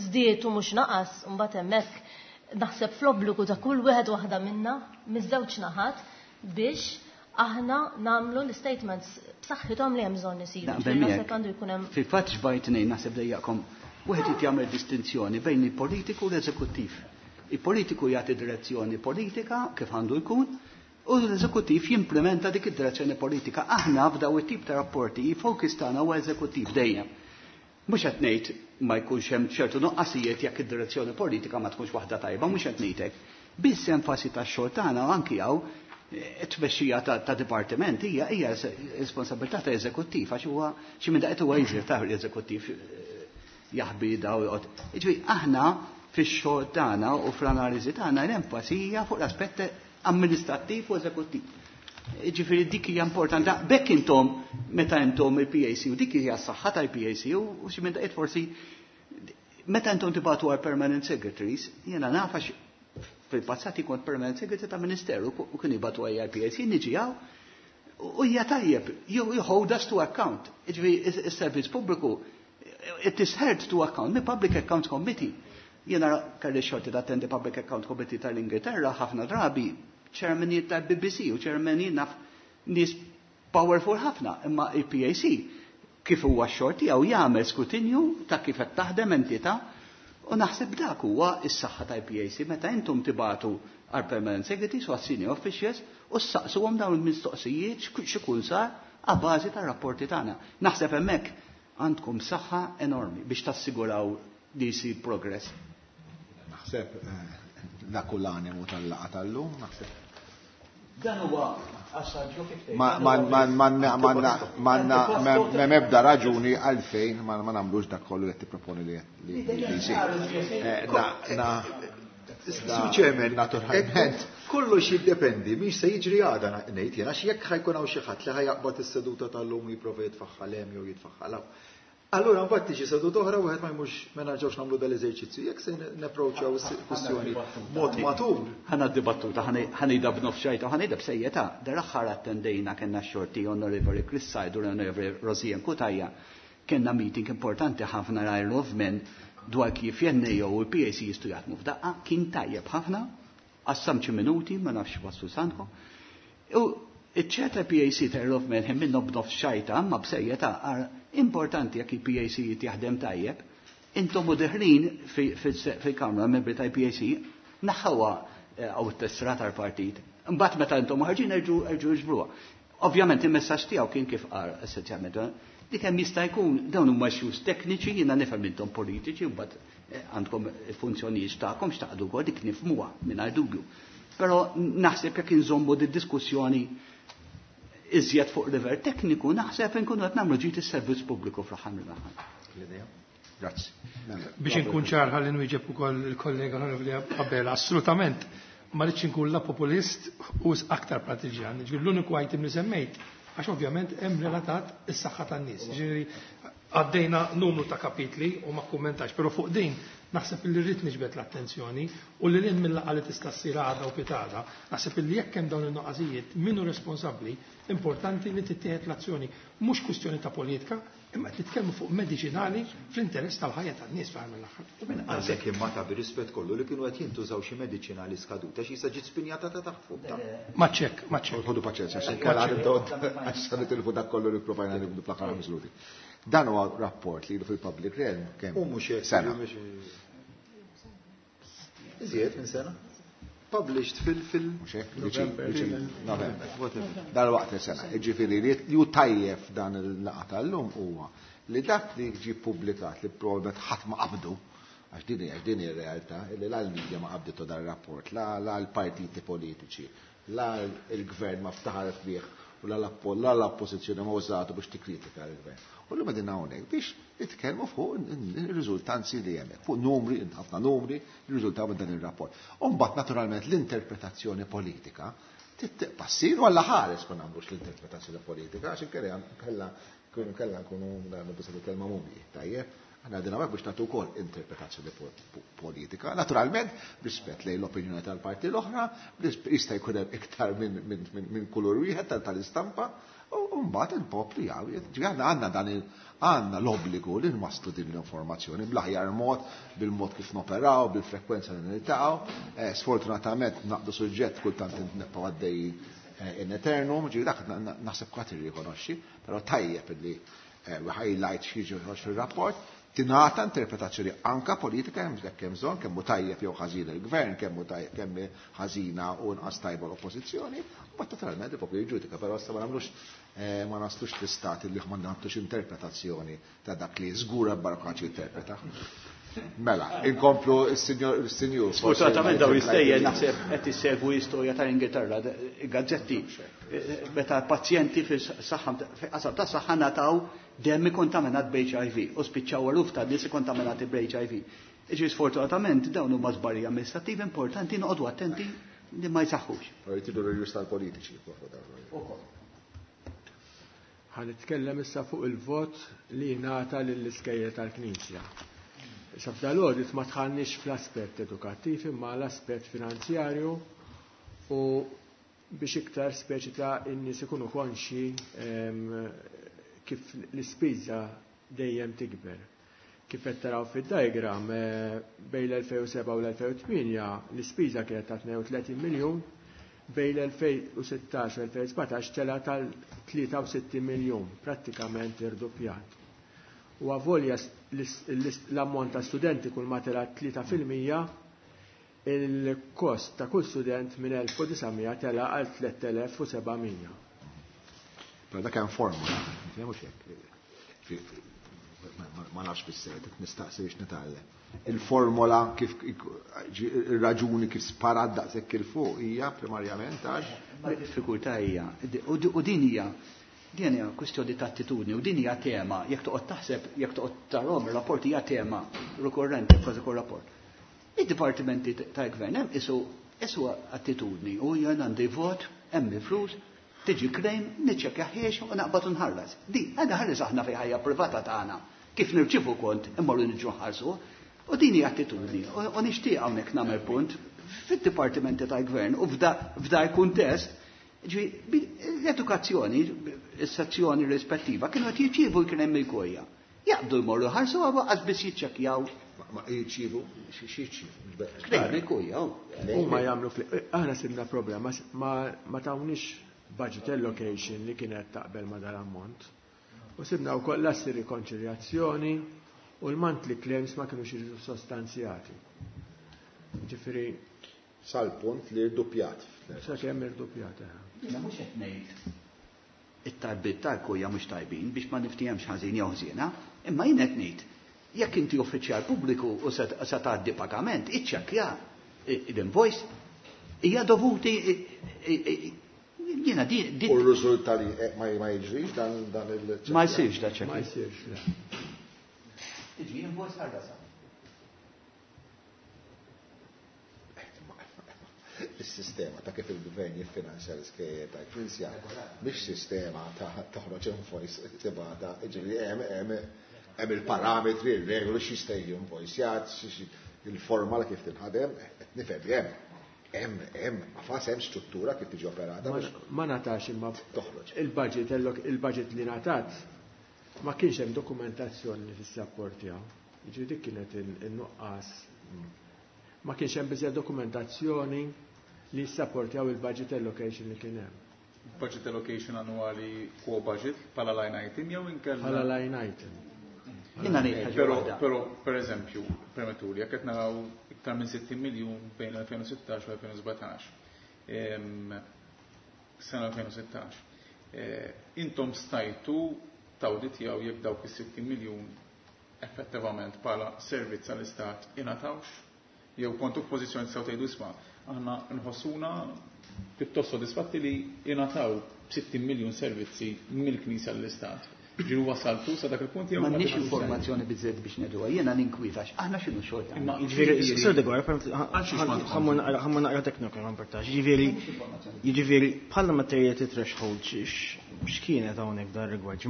Speaker 11: żdied u mhux naqas, u mbagħad hemmhekk naħseb fl-obbligu ta' kull wieħed waħda minna miż-żewġ naħat biex aħna nagħmlu l-statements b'saħħithom li hemm bżonn isiru.
Speaker 3: Naqbel
Speaker 11: Ġifieri naħseb
Speaker 3: miegħek.
Speaker 11: għandu jkun hemm
Speaker 3: Fil-fatt xbajt ngħid naħseb dejjaqkom, wieħed irid jagħmel distinzjoni bejn il-politiku u l-eżekuttiv. Il-politiku jagħti direzzjoni politika kif għandu jkun, u l-eżekuttiv jimplementa dik id-direzzjoni politika. Aħna f'daw it-tip ta' rapporti, il-focus tagħna huwa eżekuttiv dejjem. Mhux qed ngħid ma jkunx hemm ċertu nuqqasijiet jekk id-direzzjoni politika ma tkunx waħda tajba, mhux qed ngħidlek. Biss enfasi tax-xogħol tagħna anki hawn it-tmexxija ta', ta' dipartiment hija, hija responsabilità ta' eżekuttiv, għax huwa xi minn daqet huwa jżir ta' l-eżekuttiv jaħbi daw joqgħod. Jiġifieri aħna fix-xogħol tagħna u fl-analiżi tagħna l-enfasi hija fuq l-aspett amministrattiv u eżekuttiv. Jiġifieri dik hija importanti. Bekk intom meta intom il-P A C u dik hija s-saħħa tal-P A C u, u xi minn daqet forsi meta intom tibgħatu għal permanent secretaries, jiena naf għax fil-passat kont permanent secretary ta' ministeru u kien jibgħatu għal P A C, niġi hawn u hija tajjeb, you, you hold us to account. Jiġifieri is-servizz pubbliku it is held to account, the Public Accounts Committee. Jiena kelli xorti tattendi Public Account Committee tal-Ingilterra ħafna drabi, chairmanijiet tal-B B C u chairmanijiet naf nies powerful ħafna, imma il-P A C kif huwa x-xogħol tiegħu jagħmel skrutinju ta' kif qed taħdem entità, u naħseb dak huwa s-saħħa tal-P A C meta intom tibatu għal permanent secretaries u għas senior officials u ssaqsuhom dawn il-mistoqsijiet x'ikun sar għal bażi tar-rapporti tagħna. Naħseb hemmhekk għandkom saħħa enormi biex tassiguraw li jsir progress.
Speaker 2: Naħseb, eh, dak hu l-animu tal-laqgħa tal-lum, naħseb.
Speaker 3: Dan huwa assaġġju kif tgħid.
Speaker 2: Ma, ma, ma, ma, ma, ma, ma, ma, ma, m'ebda raġuni għalfejn ma, ma nagħmlux dak kollu li qed tipproponi li, li, li jsir. Eh, na, na,
Speaker 10: Sur Chairman,
Speaker 2: naturalment.
Speaker 10: Kollox jiddependi mhix se jiġri għada ngħid jien, għax jekk ħajkun hawn xi ħadd li ħajaqbad is-seduta tal-lum jipprova jitfaħħal hemm jew jitfaħħal hawn. Allura mbagħad tiġi seduta oħra wieħed ma jmurx ma nerġgħux nagħmlu dal-eżerċizzju. Jekk se napproċċjaw is-kwistjoni mod matur.
Speaker 3: Ħa dibattuta, ħanejda b'nofs xajta, ħanejda b'sejjeta. Dar-aħħar attendejna kellna x-xorti Onorevoli Chris Said u Onorevoli Rosianne Cutajar. Kellna meeting importanti ħafna Isle of Man dwar kif N A O u l-P A C jistgħu jaħdmu f'daqqa, kien tajjeb ħafna, qassam xi minuti, ma nafx waslu sanko. U iċ-ċer tal-P A C ta' Isle of Man hemm minnhom b'nofs xajta, imma b'sejjeta għar importanti jekk il-P A C jaħdem tajjeb, intom u deħlin fi-, fi-, fil-Kamra membri tal-P A C naħħawa, eh, għaw it-tessra tal-partit. Mbagħad meta intom ħarġin erġu, erġu ġbruha. Ovvjament il-messaġġ tiegħu kien kif qal essenzjalment, eh, Dik hemm jista' jkun dawn huma issues tekniċi, jiena nifhem intom politiċi u mbagħad għandkom il-funzjonijiet tagħkom x'taqdu wkoll dik nifhmuha mingħajr dubju. Però naħseb jekk inżommu di diskussjoni iżjed fuq livell tekniku, naħseb inkunu qed nagħmlu ġid is-servizz pubbliku fl-aħħar mill-aħħar.
Speaker 2: Grazzi.
Speaker 9: Biex inkun ċar ħalli nwieġeb ukoll il-kollega Onorevoli Abela, assolutament ma rridx inkun la populist u aktar partiġjan. Ġifieri l-uniku item li semmejt għax ovvjament hemm relatat is-saħħa tan-nies. Ġifieri għaddejna numru ta' kapitli u ma kummentax, però fuq din naħseb li rrid niġbed l-attenzjoni u li lil mill-laqgħa li tista' ssir għada u pitada, naħseb li jekk hemm dawn in-nuqqasijiet min hu responsabbli, importanti li tittieħed l-azzjoni. Mhux kwistjoni ta' politika, imma qed nitkellmu fuq mediċinali fl-interess tal-ħajja tan-nies fl-aħħar mill-aħħar.
Speaker 10: Għalhekk imma ta' bir-rispett kollu li kienu qed jintużaw xi mediċinali skaduta xi issa ġiet spinjata ta' taħt fuq ta'.
Speaker 9: Ma ċekk, ma ċekk.
Speaker 2: Ħodu paċenzja, xi kellha għax se nitilfu dak kollu li pprovajna nibdu fl-aħħar minuti. Dan huwa rapport li ilu fil-public realm kemm
Speaker 10: U mhux hekk,
Speaker 2: sena.
Speaker 10: Iżjed minn sena. Published fil fil
Speaker 2: Mhux hekk, viċin, viċin, November. Dal-waqt sena. Jiġifieri li ju tajjeb dan il-laqgħa tal-lum huwa li dak li ġie ppubblikat li probabbilment ħadd ma qabdu, għax din hija din hija r-realtà, li la l-media ma qabditu dan ir-rapport, la la l-partiti politiċi, la l-gvern ma ftaħar fih u la l-oppożizzjoni ma użatu biex tikkritika l-gvern. U l-lum qegħdin hawnhekk biex nitkellmu fuq ir-riżultanzi li hemmhekk, fuq numri, ħafna numri li riżultaw minn dan ir-rapport. U mbagħad naturalment l-interpretazzjoni politika tibqa' ssir u alla ħares ma nagħmlux l-interpretazzjoni politika għax inkella kella kella nkunu nagħmlu biss il-kelma mumji, tajjeb. Aħna qegħdin hawnhekk biex nagħtu wkoll interpretazzjoni politika. Naturalment, rispett lejn l-opinjoni tal-parti l-oħra, jista' jkun hemm iktar minn kulur wieħed tal-istampa, u mbagħad il-poplu jgħid, ġifieri aħna għandna dan il għandna l-obbligu li nwasslu din l-informazzjoni bl-aħjar mod, bil-mod kif noperaw, bil-frekwenza li niltaqgħu. Sfortunatament naqdu suġġett kultant nibqgħu għaddej in eternum, ġifieri dak naħseb kulħadd irrikonoxxi, però tajjeb illi highlight xi jiġi fir-rapport, tingħata interpretazzjoni anka politika hemm jekk hemm bżonn, kemm hu tajjeb jew ħażin il-gvern, kemm hu tajjeb kemm ħażina u nqas tajba l-oppożizzjoni, u mbagħad naturalment il-poplu jiġġudika, però issa ma nagħmlux ma naslux l-istat li ma nagħtux interpretazzjoni ta' dak li żgur barkaċ jinterpreta. Mela, inkomplu s-sinjur.
Speaker 3: Sfortunatament daw jistejjer naħseb qed issegwu l-istorja tal-Ingilterra, gazzetti meta pazjenti fis-saħħa qasam ta' saħħa ngħataw demm ikkontaminat b'H I V u spiċċaw eluf ta' nies ikkontaminati b'H I V. Iġifieri sfortunatament dawn huma żbalji amministrativi importanti noqogħdu attenti li ma jsaħħux.
Speaker 2: Jridu l-rjus tal-politiċi.
Speaker 3: Ukoll.
Speaker 6: Ħa nitkellem issa fuq il-vot li jingħata lill-iskejjel tal-Knisja. Issa f'dal-audit ma tħallniex fl-aspett edukattiv imma l-aspett finanzjarju u biex iktar speċi ta' in-nies ikunu konxi kif l-ispiża dejjem tikber. Kif qed taraw fid-diagram bejn l-elfejn u seba' u l-elfejn u tmienja l-ispiża kienet ta' tnejn u tletin miljun, bejn l-elfejn u sittax u l-elfejn u sbatax tela tal tlieta u sittin miljun, prattikament irdoppjat. U avolja l-ammont ta' studenti kull ma tela tlieta fil-mija, il-kost ta' kull student minn elf u disamija tela għal tliet elef u seba' mija.
Speaker 2: Però dak hemm formula, mhux hekk. Ma nafx bis-sejt, nistaqsi biex nitgħallem. Il-formola kif ir-raġuni kif sparat daqshekk il fuq hija primarjament għax
Speaker 3: Ma diffikultà hija, u din hija din hija kwistjoni ta' attitudni u din hija tema, jekk toqgħod taħseb, jekk toqgħod tarahom ir-rapport hija tema rikorrenti f'kważi kull rapport. Id-dipartimenti tal-gvern hemm isu isu attitudni u jien għandi vot, hemm il-flus, tiġi claim, niċċekkja ħiex u naqbad u nħallas. Di, għandha ħares aħna fi ħajja privata tagħna. Kif nirċievu kont immorru niġu nħarsu. U din hija attitudni. U nixtieq hawnhekk nagħmel punt fid-dipartimenti tal-gvern u f'da l-kuntest, ġifieri l-edukazzjoni, is-sezzjoni rispettiva kienu qed jirċievu kien hemm il-kojja. Jaqbdu jmorru ħarsu għax biss jiċċekkjaw.
Speaker 2: Ma jirċievu, xi jirċievu?
Speaker 3: Klejn il-kojja.
Speaker 6: Huma jagħmlu fl-, aħna sibna problema, ma, ma tawniex budget allocation li kienet taqbel ma dal-ammont. U sibna wkoll l-assi rikonċiljazzjoni u l-monthly claims ma kinux jiġu sostanzjati. Ġifieri
Speaker 2: sal-punt li rduppjat.
Speaker 6: Sa kemm irduppjat, eh.
Speaker 3: Jiena mhux qed ngħid It-talbiet tal-Kurja mhux tajbin biex ma niftihemx ħażin jew ħżiena, imma jien qed ngħid jekk inti uffiċjal pubbliku u se tgħaddi pagament, iċċekkja l-invoice hija dovuti jiena di.
Speaker 2: U r-riżulta li ma jiġrix dan dan il
Speaker 3: Ma jsirx da ċekk.
Speaker 6: Ma jsirx.
Speaker 3: Tiġi invoice ħarsa.
Speaker 2: Is-sistema ta' kif il-gvern jiffinanzja l-iskejjel tal-Knisja mhix sistema ta' toħroġ invoice tibgħatha, jiġifieri hemm hemm hemm il-parametri, ir-regoli x'jista' jiġi invoicjat, il-forma kif tinħadem, qed nifhem li hemm hemm hemm qafas hemm struttura kif tiġi operata.
Speaker 6: Ma ngħatax imma
Speaker 2: toħroġ.
Speaker 6: Il-budget il-budget li ngħatat ma kienx hemm dokumentazzjoni li tissapportjaha. Jiġifieri dik kienet in-nuqqas. Ma kienx hemm biżejjed dokumentazzjoni li jissapportjaw il-budget allocation li kien hemm.
Speaker 7: Budget allocation annwali quo budget bħala line item jew inkella?
Speaker 6: Bħala line item.
Speaker 3: Jiena ngħid ħaġa waħda.
Speaker 7: Però per eżempju, permettuli, jekk qed naraw iktar minn sittin miljun bejn elfejn u sittax u elfejn u sbatax. Sena elfejn u sittax. Intom stajtu tawditjaw jekk dawk is-sittin miljun effettivament bħala servizz għall-Istat ingħatawx? Jew kontu f'pożizzjoni tistgħu tgħidu isma' aħna nħossuna pjuttost sodisfatti li ingħataw sittin miljun servizzi mill-Knisja l-Istat. Ġiru wasaltu sa dak il-punt jew
Speaker 3: m'għandniex informazzjoni biżżejjed biex ngħiduha, jiena ninkwietax, aħna x'inhu xogħol tagħna.
Speaker 5: Jiġifieri, Sur Degwar, ħammur naqra teknika ma importax. Jiġifieri, jiġifieri bħala materiality threshold x'kienet hawnhekk dan rigward?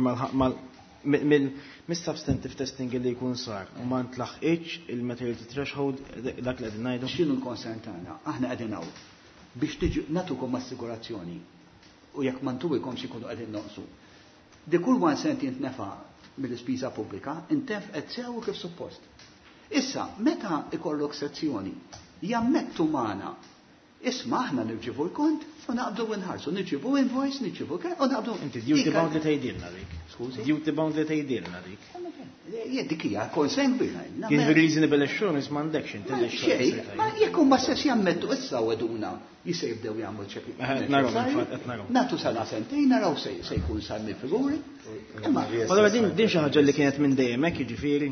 Speaker 5: Mill-substantive testing li jkun sar u ma ntlaħqitx il-materiality threshold dak li qegħdin ngħidu.
Speaker 3: X'inhu l-concern tagħna? Aħna qegħdin hawn biex tiġu nagħtukom assigurazzjoni u jekk ma ntuwikomx ikunu qegħdin noqsu. Di kull one cent jintnefa mill-ispiża pubblika, intefqet sew kif suppost. Issa, meta ikollok sezzjoni, jammettu magħna, isma' aħna nirċivu l-kont u naqbdu nħarsu, nirċivu invoice, nirċivu ke, u naqbdu.
Speaker 5: Inti duty bound li tgħidilna dik.
Speaker 3: Skużi?
Speaker 5: Duty bound li tgħidilna dik.
Speaker 3: Jien dik hija concern kbira.
Speaker 5: Kien reasonable assurance m'għandekx inti
Speaker 3: Xejn, ma jekk huma stess jammettu issa weduna jista' jibdew jagħmlu ċekk. Nagħtu sena sentejn naraw se jkun sar mill-figuri.
Speaker 5: Imma allura din din xi ħaġa li kienet minn dejjem hekk jiġifieri.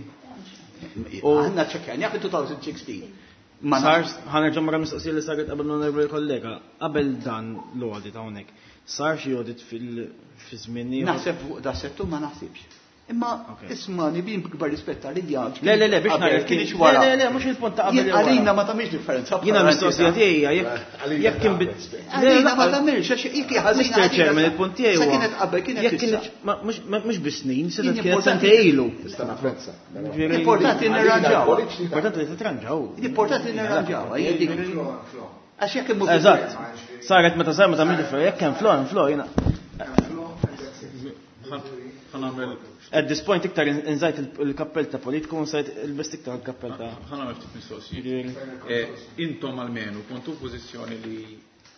Speaker 3: Aħna ċekkjani fil-twenty sixteen.
Speaker 5: Ma sar ħanerġa' mara mistoqsija li saret qabel l-onorevoli kollega, qabel dan l-audit hawnhekk. Sar xi audit fil-żmien ieħor?
Speaker 3: Naħseb fuq da settur ma naħsibx. Imma ismani bin b'kbar rispett għalija.
Speaker 5: Le le le biex nara
Speaker 3: kienx wara.
Speaker 5: Le le le mhux il-punt ta' qabel.
Speaker 3: Għalina ma tagħmilx differenza.
Speaker 5: Jiena mistoqsija tiegħi jekk jekk kien
Speaker 3: Għalina ma tagħmilx għax jekk ħażina.
Speaker 5: Mister Chairman, il-punt tiegħi
Speaker 3: huwa. Kienet qabel kienet
Speaker 5: jekk mhux bis-snin, se kienet sentejn ilu.
Speaker 2: Tista' napprezza.
Speaker 3: Importanti nirranġaw.
Speaker 5: Importanti li titranġaw.
Speaker 3: Importanti nirranġaw. Għax jekk imur.
Speaker 5: Eżatt. Saret meta sar ma tagħmilx differenza jekk hemm flow hemm flow jiena. At this point iktar inżajt il-kappell ta' politiku, nżajt il-best iktar il-kappell ta'
Speaker 7: Ħa nagħmel ftit mistoqsijiet. Intom almenu kontu f'pożizzjoni li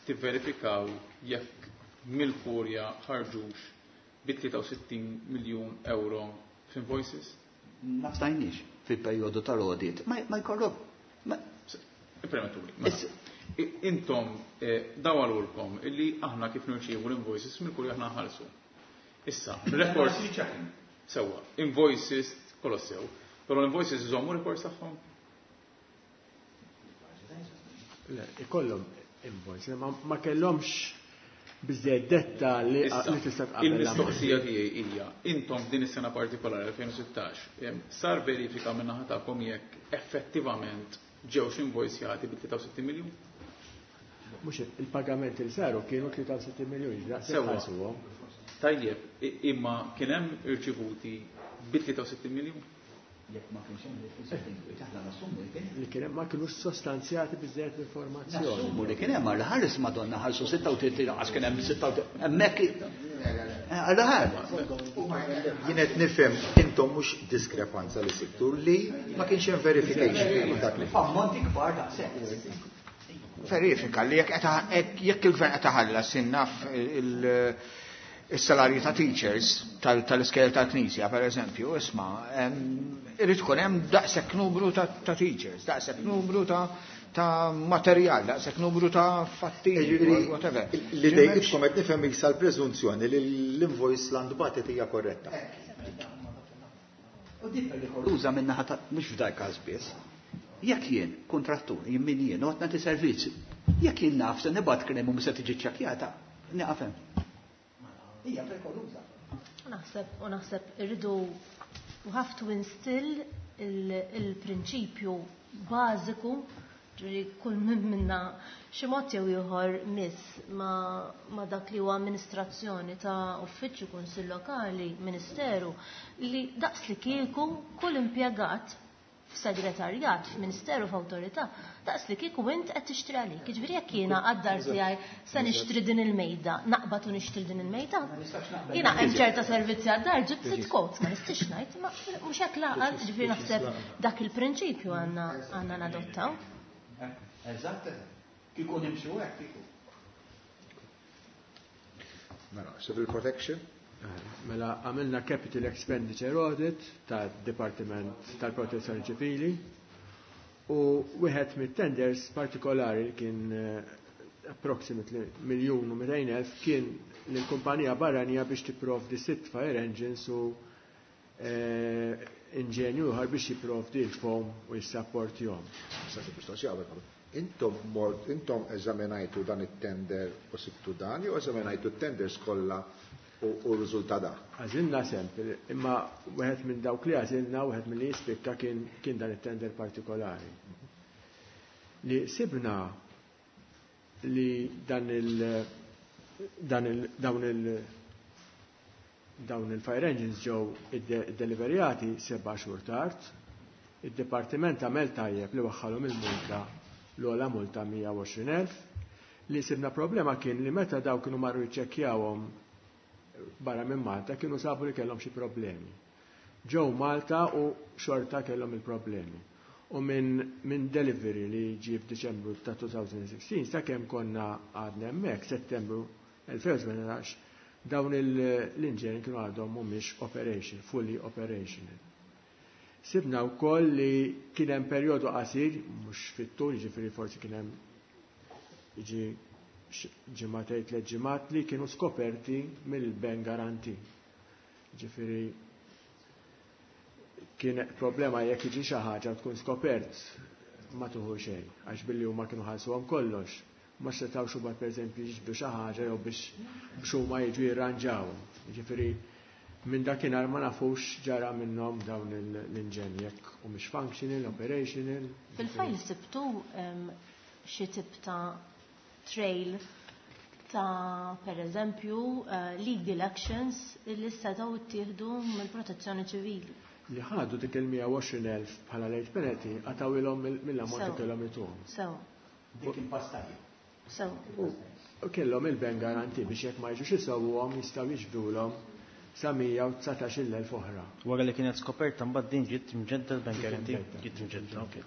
Speaker 7: tivverifikaw jekk mill-Kurja ħarġux bi tlieta u sittin miljun euro f'invoices?
Speaker 3: Ma stajniex fil-perjodu tal-audit. Ma jkollok.
Speaker 7: Ippermettuli. Intom dawalulkom illi aħna kif nirċievu l-invoices mill-Kurja aħna nħallsu. Issa, records sewwa, invoices kollox sew, però l-invoices iżommu records tagħhom?
Speaker 6: Le, ikollhom invoice, ma, ma kellhomx biżżejjed detta li tista' tqabbel.
Speaker 7: Il-mistoqsija tiegħi hija, intom f'din is-sena partikolari elfejn u sittax, sar verifika minn naħa tagħkom jekk effettivament ġewx invoicjati bi tlieta u sittin miljun?
Speaker 6: Mhux il-pagamenti li saru kienu tlieta u sittin miljun,
Speaker 7: ġdaqs Tajjeb, imma kien hemm irċivuti bi tlieta u sittin miljun?
Speaker 3: Jekk ma kienx hemm aħna nassumu li kien hemm.
Speaker 6: Li kien hemm ma kinux sostanzjati biżżejjed l-informazzjoni.
Speaker 3: Nassumu li kien hemm għal ħares Madonna ħarsu sitta u tletin għax kien hemm sitta u tletin hemmhekk għal ħares.
Speaker 10: Jien qed nifhem intom mhux diskrepanza li sibtu li ma kienx hemm verification dak li.
Speaker 3: Ammonti kbar daqshekk.
Speaker 8: Verifika li jekk jekk il-gvern qed iħallas innaf il is-salarji ta' teachers tal-iskejjel tal-Knisja, per eżempju, isma', irid ikun hemm daqshekk numru ta' teachers, daqshekk numru ta' ta' materjal, daqshekk numru ta' fatti, whatever.
Speaker 10: Li dejqitkom qed nifhem issa l-preżunzjoni li l-invoice l batet hija korretta.
Speaker 3: U din perikoluża min-naħa ta' mhux f'dak każ biss. Jekk jien kontrattur, jien min jien, u qed nagħti servizz, jekk jien naf se nibgħat krem u mhux se tiġi ċċekkjata, nieqaf hemm. Hija perikoluża.
Speaker 11: Naħseb u naħseb irridu we have to instill il-prinċipju bażiku ġifieri kull min minna xi mod jew ieħor miss ma, ma dak li huwa amministrazzjoni ta' uffiċċju kunsill lokali, ministeru, li daqs li kieku kull impjegat f'segretarjat, f'ministeru, f'awtorità, daqs li kieku int qed tixtri għalik. Jiġifieri jekk jiena għad-dar tiegħi se nixtri din il-mejda, naqbad u nixtri din il-mejda. Jiena hemm ċerta servizzi għad-dar ġibt sitt quotes, ma nistax ngħid, ma mhux hekk laqal, ġifieri naħseb dak il-prinċipju għandna għandna nadottaw.
Speaker 3: Eżatt, kieku nimxu hekk kieku.
Speaker 2: Mela, civil protection.
Speaker 6: Mela, għamilna capital expenditure audit tad-Dipartiment tal-Protezzjoni Ċivili u wieħed mit-tenders partikolari li kien approximately miljun u mitejn elf kien lill-kumpanija barranija biex tipprovdi sitt fire engines u inġenju ieħor biex jipprovdi l-foam u jissapportihom.
Speaker 2: Intom mort, intom eżaminajtu dan it-tender u sibtu dan, jew eżaminajtu t-tenders kollha u r-riżultat da?
Speaker 6: Għażilna sample, imma wieħed minn dawk li għażilna, wieħed minn li jispikka kien, kien dan it-tender partikolari. Li sibna li dan il dan il dawn il dawn il-fire engines ġew iddeliverjati seba' xhur tard, id-dipartiment għamel tajjeb li waħħalhom il-multa l-ogħla multa mija u għoxrin elf. Li sibna problema kien li meta daw kienu marru jiċċekkjawhom barra minn Malta kienu sabu li kellhom xi problemi. Ġew Malta u xorta kellhom il-problemi. U minn min delivery li ġie f'Diċembru ta' twenty sixteen sakemm konna għadna hemmhekk Settembru elfejn u sbatax dawn l-inġen kienu għadhom mhumiex operation, fully operational. Sibna wkoll li kien hemm perjodu qasir, mhux fit-tul, jiġifieri forsi kien hemm jiġi ġimgħatejn tliet ġimgħat li kienu skoperti mill-bank guarantee. Jiġifieri kien problema jekk jiġi xi ħaġa tkun skopert ma tuħu xejn, għax billi huma kienu ħalsuhom kollox. Ma setgħux huma pereżempju jiġbdu xi ħaġa jew biex biex huma jiġu jirranġaw. Jiġifieri minn dakinhar ma nafux ġara minnhom dawn l-inġenji jekk humiex functional, operational.
Speaker 11: Fil-fajl sibtu xi tip ta' trail ta' per eżempju legal actions li setgħu ttieħdu mill-protezzjoni ċivili.
Speaker 6: Li ħadu dik il-mija u għoxrin elf bħala late penalty għatawilhom mill-ammont li kellhom ituhom.
Speaker 11: Sew.
Speaker 3: Dik il-pastajja.
Speaker 11: Sew.
Speaker 6: U kellhom il-bank guarantee biex jekk ma jiġux isewwhom jistgħu jiġbdulhom sa mija u dsatax-il elf oħra.
Speaker 5: Wara li kienet skoperta mbagħad din ġiet imġedda l-bank guarantee, ġiet imġedda, okej.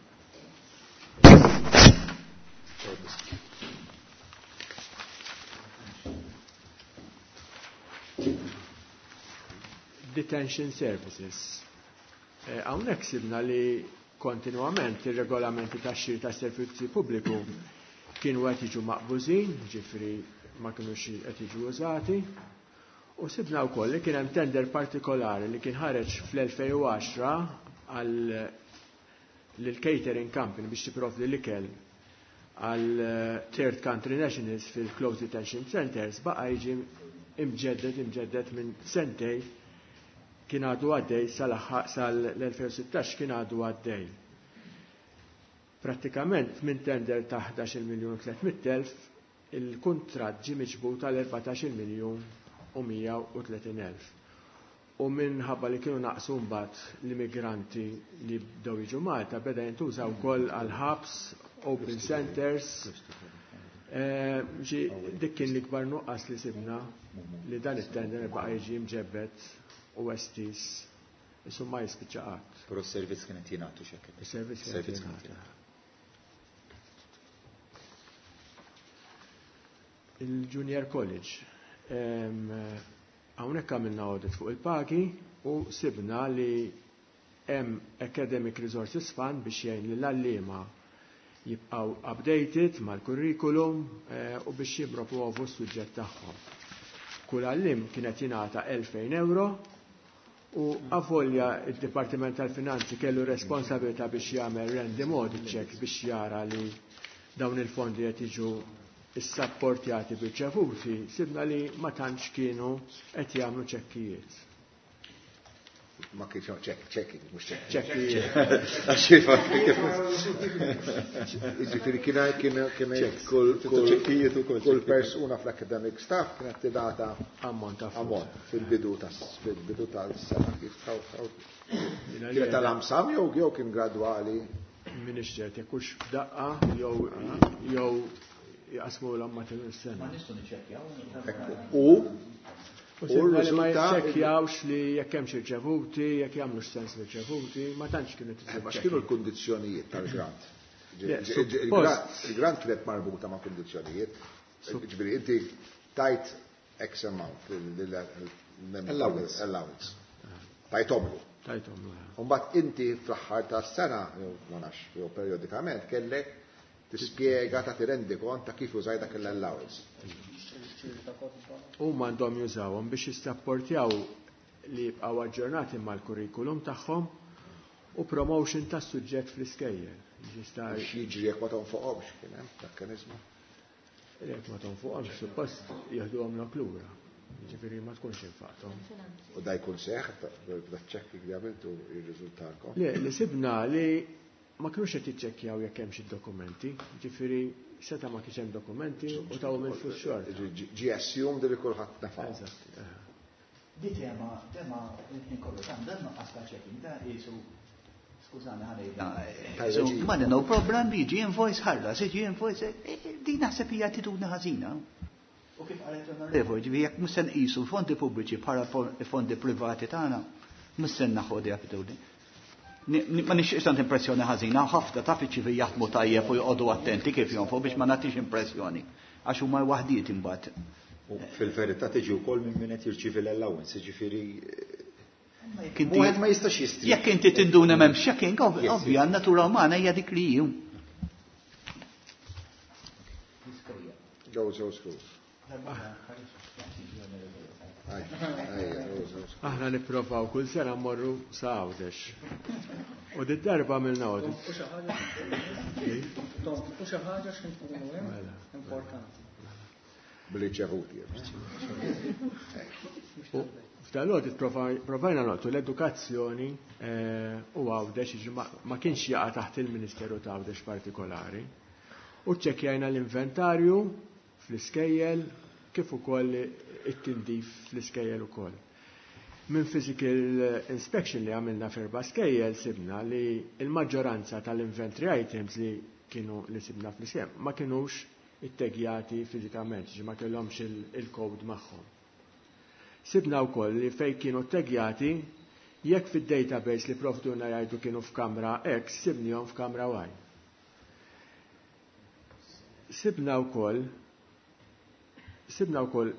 Speaker 6: Detention Services. Hawnhekk sibna li kontinwament ir-regolamenti tax-xiri tas-servizzi pubbliku kienu qed jiġu maqbużin, ġifieri ma kinux qed jiġu użati. U sibna wkoll li kien hemm tender partikolari li kien ħareġ fl-elfejn u għaxra għal lill-catering company biex tipprovdi l-ikel għal third country nationals fil-closed detention centers baqa' jiġi imġedded imġedded minn sentej kien għadu għaddej sal-elfejn u sittax kien għadu għaddej. Prattikament minn tender ta' ħdax-il miljun u tliet mitt elf il-kuntratt ġie miġbut għal erbatax-il miljun u mija u tletin elf. U minħabba li kienu naqsu mbagħad l-immigranti li bdew jiġu Malta beda jintuża wkoll għal ħabs, open centers. Ġi dik kien l-ikbar nuqqas li sibna li dan it-tender baqa' jiġi mġebbed u estis, insomma jispiċċa qatt.
Speaker 10: Però s-servizz kien qed jingħatu x'hekk.
Speaker 6: Is-servizz kien qed
Speaker 10: Is-servizz kien qed
Speaker 6: jingħata.
Speaker 10: jingħata.
Speaker 6: Il-Junior College. Hawnhekk għamilna audit fuq il-pagi u sibna li hemm Academic Resources Fund biex jgħin lill-għalliema jibqgħu updated mal-kurrikulum eh, u biex jippromuovu s-suġġett tagħhom. Kull għalliem kienet jingħata elfejn euro u avolja id-Dipartiment tal-Finanzi kellu responsabilità biex jagħmel random audit checks biex jara li dawn il-fondi qed jiġu issapportjati b'irċevuti, sibna li ma tantx kienu qed jagħmlu ċekkijiet.
Speaker 2: Ma kienx hawn check, checking, mhux check.
Speaker 6: Ċekkijiet.
Speaker 2: Jiġifieri kien kien kien kull kull
Speaker 10: ċekkijiet ukoll,
Speaker 2: kull persuna fl-academic staff kienet tingħata
Speaker 6: ammont ta' flus.
Speaker 2: Ammont fil-bidu tas fil-bidu tal-sena kif taw taw.
Speaker 6: Jiena
Speaker 2: Kienet
Speaker 6: li-
Speaker 2: tal-lump sum jew jew kien gradwali.
Speaker 6: M'iniex ċert jekk hux f'daqqa jew jew jaqsmu l-matul is-sena.
Speaker 3: Ma nistgħu niċċekkjaw.
Speaker 2: U
Speaker 6: U
Speaker 2: u
Speaker 6: sibna li ma
Speaker 2: r-riżultat
Speaker 6: jiċċekkjawx li jekk hemmx irċevuti, jekk jagħmlux sens l-irċevuti, ma tantx kienu
Speaker 2: Ma x'kienu l-kundizzjonijiet tal-grant?
Speaker 6: Le,
Speaker 2: Il-grant il-grant kienet marbuta ma' kundizzjonijiet. Ġifieri inti tajt X amount
Speaker 10: Allowance.
Speaker 2: allowance. Tajtomlu.
Speaker 6: Tajtomlu.
Speaker 2: Umbagħad inti fl-aħħar tas-sena, jew ma nafx, jew periodikament kellek tispjega ta' tirendi kont ta' kif użaj dak l-allowance.
Speaker 6: Huma għandhom jużawhom biex jissapportjaw li jibqgħu aġġornati mal-kurrikulum tagħhom u promotion tas-suġġett fl-iskejjel. Jista'
Speaker 2: X'jiġri jekk ma tonfoqhomx kien hemm mekkaniżmu.
Speaker 6: Jekk ma tonfoqhomx suppost jieħduhom lura. Jiġifieri ma tkunx infaqthom.
Speaker 2: U da jkun seħ, da checking li għamiltu jirriżultalkom.
Speaker 6: Le, li sibna li ma kinux qed jiċċekkjaw jekk hemm xi dokumenti, ġifieri seta' ma kienx hemm dokumenti u taw minn flus xorta.
Speaker 2: Ġi assumed li kulħadd nafa.
Speaker 6: Eżatt.
Speaker 3: Di tema, tema il-ħin kollu ta' dan nuqqas ta' checking, da jisu, skużani ħalli. Ma no problem, jiġi invoice ħallas, jiġi invoice, di naħseb hija attitudni ħażina. U kif qalet l-onorevoli, ġifieri jekk mhux se nqisu l-fondi pubbliċi bħala fondi privati tagħna, mhux se naħu attitudni. Ma nixtieqx tant impressjoni ħażina, ħafna taf iċ-ċivil jaħdmu tajjeb u joqogħdu attenti kif jonfqu biex ma nagħtix impressjoni. Għax huma waħdiet imbagħad.
Speaker 10: U fil-verità tiġi wkoll minn min qed jirċievi l-allowance, jiġifieri
Speaker 3: Wieħed
Speaker 10: ma jistax jistri.
Speaker 3: Jekk inti tinduna m'hemmx checking, ovvja, n-natura umana hija dik li hi.
Speaker 2: Go, go, schools.
Speaker 6: Aħna nipprovaw kull sena mmorru sa Għawdex. U di darba għamilna audit.
Speaker 9: U xi ħaġa u xi ħaġa x'kien tkunu hemm importanti.
Speaker 2: Bil-riċevuti.
Speaker 6: U f'dal-audit provajna noqtu l-edukazzjoni u Għawdex, ma kienx jaqa' taħt il-Ministeru ta' Għawdex partikolari. U ċċekkjajna l-inventarju fl-iskejjel kif ukoll it-tindif fl-iskejjel ukoll. Minn physical inspection li għamilna f'erba' skejjel sibna li l-maġġoranza tal-inventory items li kienu li sibna fl-iskejjel ma kinux ittegjati fiżikament, ġi ma kellhomx il-code magħhom. Sibna wkoll li fejn kienu ttegjati, jekk fid-database li provduna jgħidu kienu f'kamra X, sibnihom f'kamra Y. Sibna wkoll sibna wkoll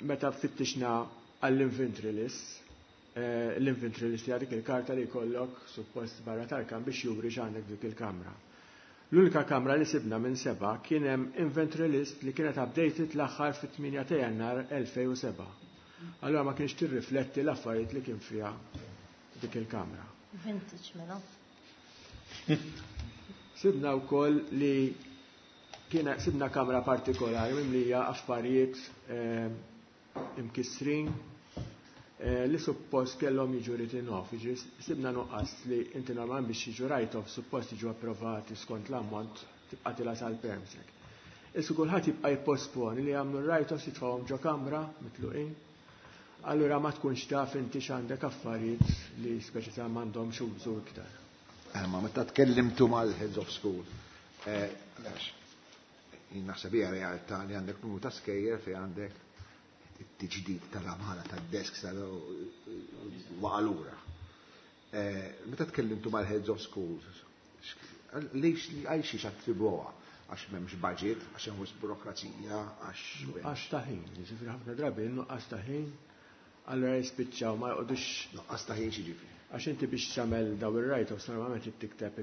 Speaker 6: meta fittixna għall-inventory list, l-inventory list hija dik il-karta li jkollok suppost barra tal-kam biex juri x'għandek dik il-kamra. L-unika kamra li sibna minn seba' kien hemm inventory list li kienet updated l-aħħar fit-tmienja ta' Jannar elfejn u seba'. Allora ma kienx tirrifletti l-affarijiet li kien fiha dik il-kamra.
Speaker 11: Vintage mela.
Speaker 6: Sibna wkoll li kien sibna kamra partikolari mimlija affarijiet imkissrin li suppost kellhom jiġu written off. Jiġifieri sibna nuqqas li inti normalment biex jiġu write off suppost jiġu approvati skont l-ammont tibqa' tilha sal-permsec. Issa kulħadd jibqa' jipposponi li jagħmlu write offs jitfgħuhom ġo kamra mitluqin. Allura ma tkunx taf inti x'għandek affarijiet li speċi ta' m'għandhomx użu iktar.
Speaker 2: Ma meta tkellimtu mal-heads of school, għax jien naħseb hija realtà li għandek numru ta' skejjel fejn għandek it-tiġdid tal-għamara tad-desk waqa' lura. Meta tkellimtu mal-heads of schools, lejx għal xiex attribwuha? Għax m'hemmx budget, għax hemm wisq burokrazija, għax
Speaker 6: Għax ta' ħin, jiġifieri ħafna drabi nuqqas ta' ħin Allura jispiċċaw ma jqogħdux.
Speaker 2: Nuqqas ta' ħin ġifieri.
Speaker 6: Għax inti biex tagħmel daw ir-write-offs normalment trid tikteb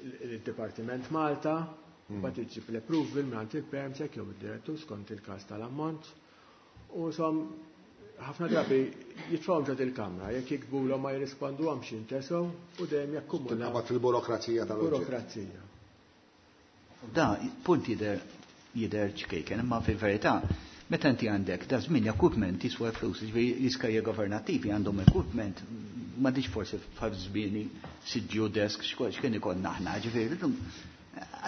Speaker 6: il-Dipartiment Malta, mbagħad iġġib l-approval mingħand il-PermSec jew id-direttur skont il-każ tal-ammont. U som ħafna drabi jitfgħu ġod il-kamra, jekk jiktbulhom ma jirrisponduhomx jintesew u dejjem jakkumulaw.
Speaker 2: Tinqabad fil-burokrazija tal-oġġett.
Speaker 6: Burokrazija.
Speaker 3: Da, punt jidher jidher ċkejken, imma fil-verità, meta inti għandek da żmien equipment jiswa flus, jiġifieri l-iskejjel governattivi għandhom equipment, m'għandix forsi f'żmieni siġġu desk, x'kien ikollna aħna, ġifieri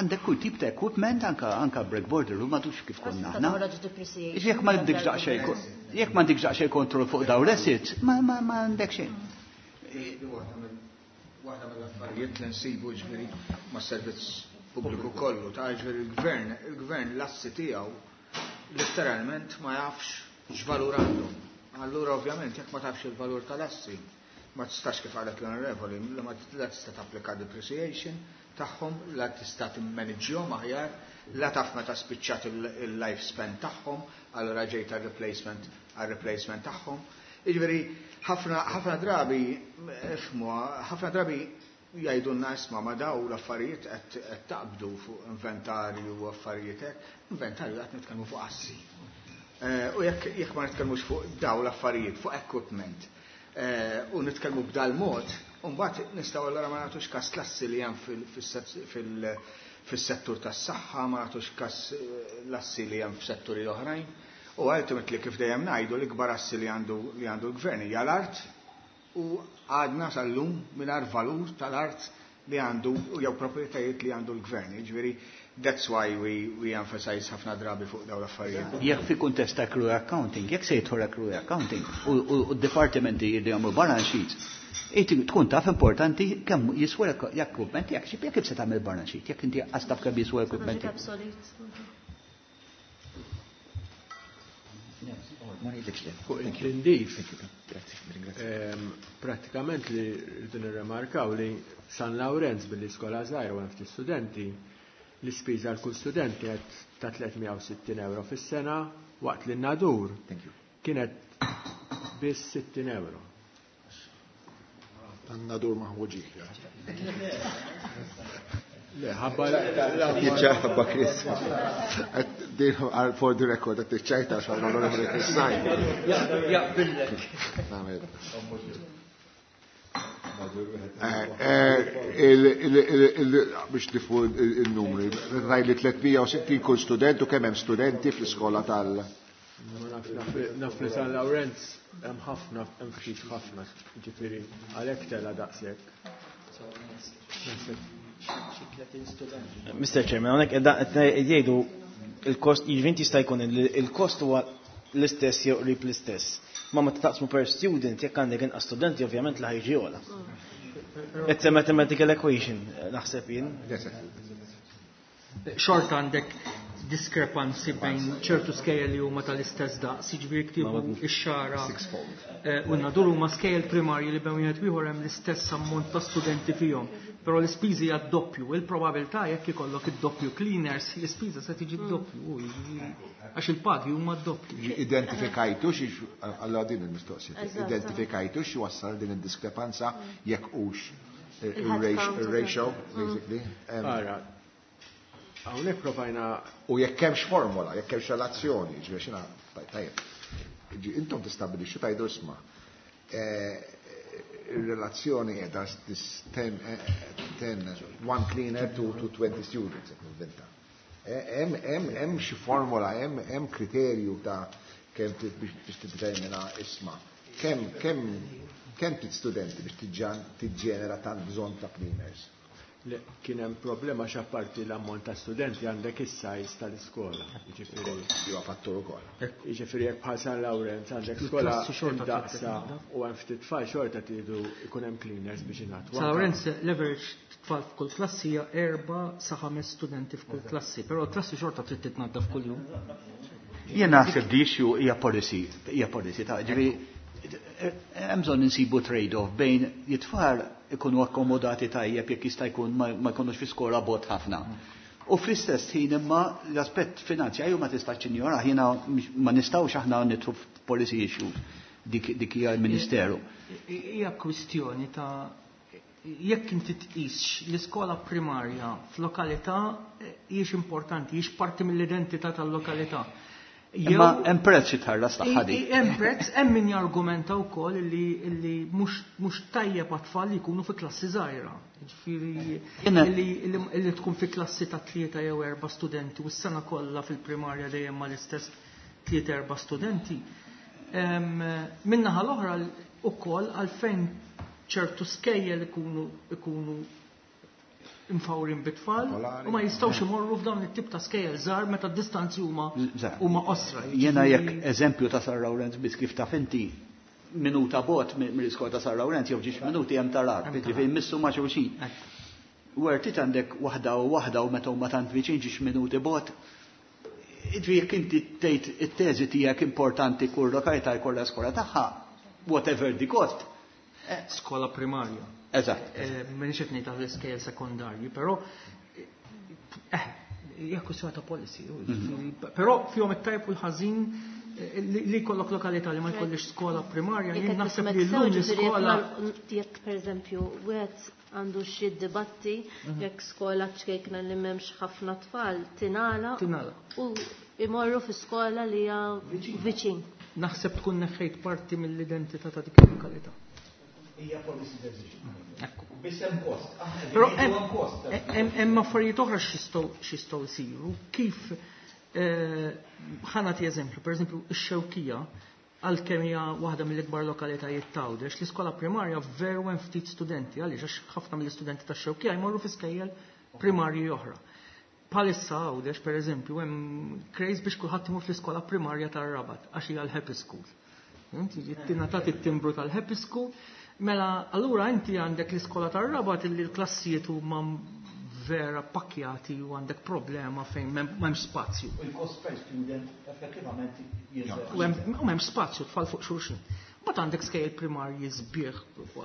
Speaker 3: għandek kull tip ta' equipment, anka anka breakboarder, u m'għadux kif konna aħna. Jekk ma għandekx daqsxejn, jekk ma għandekx daqsxejn kontroll fuq dawn l-assets, ma ma ma għandek xejn.
Speaker 8: Waħda mill-affarijiet li nsibu ġifieri mas-servizz pubbliku kollu, ta' ġifieri il-gvern, il-gvern l-assi tiegħu letteralment ma jafx x'valur għandhom. Allura ovvjament jekk ma tafx il-valur tal-assi, ma tistax kif qalet l-onorevoli, ma tista' tapplika depreciation tagħhom, la tista' timmaniġġjhom aħjar, la taf meta spiċċat il-lifespan tagħhom, allura ġejt għal-replacement għal-replacement tagħhom. Jiġifieri ħafna ħafna drabi ifhmu, ħafna drabi jgħidulna isma' ma daw l-affarijiet qed taqbdu fuq inventarju u affarijiet hekk, inventarju qed nitkellmu fuq assi. U jekk jekk ma nitkellmux fuq daw l-affarijiet, fuq equipment, u nitkellmu b'dal mod, mbagħad nistgħu allura ma nagħtux każ l-assi li hemm fis-settur tas-saħħa, ma nagħtux każ l-assi li hemm f'setturi oħrajn. U ultimately kif dejjem ngħidu l-ikbar assi li għandu li għandu l-gvern hija l-art, u għadna sal-lum mingħajr valur tal-art li għandu jew proprjetajiet li għandu l-gvern. Jiġifieri that's why we, we emphasize ħafna drabi fuq dawn l-affarijiet.
Speaker 3: Jekk fi kuntest ta' accrual accounting, jekk se jidħol accrual accounting u d-dipartimenti li jagħmlu balance sheets, tkun taf importanti kemm jiswa l-equipment jekk xi jekk se tagħmel balance sheet, jekk inti qas taf kemm jiswa l-equipment.
Speaker 6: Fuq il-tindif, pratikament li rridu nirremarkaw li San Lawrenz billi skola żgħira u hemm ftit studenti, l-ispiża għal kull student kienet ta' tliet mija u sittin euro fis-sena, waqt li n-Nadur kienet biss sittin euro.
Speaker 2: Tan-Nadur maħmuġi.
Speaker 6: Le, ħabba
Speaker 2: Ħabba Chris. For the record, qed tiċċajta għax l-Onorevoli Chris Said.
Speaker 12: Jaqbillek.
Speaker 2: Biex nifu il-numri, raj li tliet mija u sittin kull student u kemm hemm studenti fl-iskola tal-
Speaker 6: Naf li San Lawrenz hemm ħafna, hemm ftit ħafna, ġifieri għalhekk tela daqshekk.
Speaker 5: Mister Chairman, hawnhekk qed jgħidu il-kost, jiġifieri inti jista' jkun il-kost huwa l-istess jew qrib l-istess. Ma meta taqsmu per student, jekk għandek inqas studenti, ovvjament la ħajġi ogħla. It's a mathematical equation, naħseb jien.
Speaker 12: Xorta għandek diskrepanzi bejn ċertu skejjel li huma tal-istess daqs, jiġifieri ktibu ix-Xagħra u n-Nadur huma skejjel primarji li bejn wieħed ieħor hemm l-istess ammont ta' studenti fihom. Però l-ispiżi hija d-doppju, il-probabilità jekk ikollok id-doppju cleaners, l-ispiża se tiġi d-doppju, għax il-pagi huma d-doppju.
Speaker 2: Identifikajtu xi, allora din il-mistoqsija, identifikajtu xi wassal din id-diskrepanza jekk hux il-ratio, basically.
Speaker 6: Ara, hawnhekk provajna
Speaker 2: U jekk hemmx formola, jekk hemmx relazzjoni, ġifieri xina, tajjeb. Intom tistabilixxu tajdu isma'. Il-relazzjoni qiegħda this ten, ten, one cleaner to, to twenty students, jekk nivvinta. Hemm, hemm, hemm xi formola, hemm, hemm kriterju ta' kemm biex tiddetermina isma'. Kemm, kemm, kemm tit studenti biex tiġġenera tant bżonn ta' cleaners?
Speaker 6: Le, kien hemm problema x'apparti l-ammont ta' studenti għandek is-size tal-iskola. Jiġifieri
Speaker 2: huwa fattur ukoll.
Speaker 6: Jiġifieri jekk bħal San Lawrenz għandek skola
Speaker 12: Il-klassi xorta
Speaker 6: imdaqsa
Speaker 12: trid
Speaker 6: u hemm ftit tfal xorta tridu jkun hemm cleaners biex ingħatu.
Speaker 12: San Lawrenz l-average tfal f'kull klassi hija erba' sa ħames studenti f'kull klassi, però l-klassi xorta trid titnaddaf kuljum.
Speaker 3: Jien naħseb di issue hija policy, hija policy ta' ġifieri hemm bżonn insibu trade-off bejn it-tfal ikunu akkomodati tajjeb jekk jista' jkun ma, ma jkunux fi skola bot ħafna. U fl-istess ħin imma l-aspett finanzjarju ma tistax tinjora, jiena ma nistgħux aħna nidħlu policy issues, dik dik hija l-Ministeru.
Speaker 12: Hija kwistjoni ta' jekk inti tqisx l-iskola primarja f'lokalità hijiex importanti, hijiex parti mill-identità tal-lokalità.
Speaker 3: Imma hemm prezz jitħallas tagħha dik.
Speaker 12: Hemm prezz, hemm min jargumenta wkoll illi illi mhux mhux tajjeb għat-tfal li jkunu fi klassi żgħira. Jiġifieri illi illi tkun fi klassi ta' tlieta jew erba' studenti u s-sena kollha fil-primarja dejjem mal-istess tlieta erba' studenti. Min-naħa l-oħra wkoll għalfejn ċertu skejjel ikunu ikunu imfawrin bit-tfal u ma jistgħux imorru f'dawn it-tip ta' skejjel żgħar meta d-distanzi huma huma qosra.
Speaker 3: Jiena jekk eżempju ta' San Lawrenz biss kif taf inti minuta bot mill-iskola ta' San Lawrenz jew ġiex minuti hemm tal-art, jiġifieri jmissu ma' xulxin. Wertit għandek waħda u waħda u meta huma tant viċin ġiex minuti bot. Jiġifieri jekk inti tgħid it-teżi tiegħek importanti kull lokalità jkollha skola tagħha, whatever the cost.
Speaker 12: Skola primarja.
Speaker 3: Eżatt.
Speaker 12: M'inix qed ngħid għall-iskejjel sekondarji, però eh hija kwistjoni ta' policy. Però fihom it-tajb u l-ħażin li jkollok lokalità li ma jkollix skola primarja, jien naħseb li llum l-iskola
Speaker 11: jekk pereżempju wieħed għandu xi dibatti jekk skola ċkejkna li m'hemmx ħafna tfal tingħala u imorru fi skola li hija viċin.
Speaker 12: Naħseb tkun neħħejt parti mill-identità ta' dik il-lokalità.
Speaker 3: Hija policy decision. Biss hemm cost.
Speaker 12: Però hemm affarijiet oħra x'jistgħu x'jistgħu jsiru. Kif ħa nagħti eżempju, pereżempju ix-Xewkija għalkemm hija waħda mill-ikbar lokalitajiet t'Għawdex, l-iskola primarja veru hemm ftit studenti, għaliex għax ħafna mill-istudenti tax-Xewkija jmorru fi skejjel primarji oħra. Bħalissa Għawdex pereżempju hemm craze biex kulħadd imur fl-iskola primarja tar-Rabat għax hija l-Happy School. Inti tingħatat it-timbru tal-Happy School. Mela, allura inti għandek l-iskola tar-Rabat illi l-klassijiet huma vera pakkjati u għandek problema fejn m'hemmx spazju.
Speaker 3: U l-cost per student effettivament jinżel.
Speaker 12: U m'hemmx spazju tfal fuq xulxin. Mbagħad għandek skejjel primarji sbieħ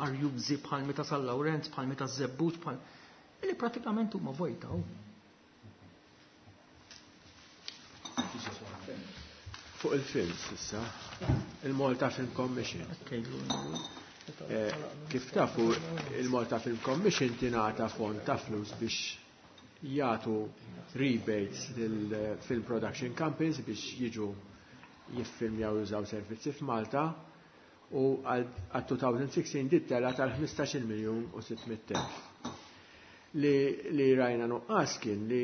Speaker 12: arjużi bħal meta San Lawrenz, bħal meta Żebbuġ, bħal illi pratikament huma vojta.
Speaker 6: Fuq il-films issa, il-Malta Film Commission. Kif tafu, il-Malta Film Commission tingħata fond ta' flus biex jagħtu rebates lil film production companies biex jiġu jiffilmjaw jużaw servizzi f'Malta u għal twenty sixteen dit tela tal-ħmistax-il miljun u sitt mitt elf. Li, li rajna nuqqas kien li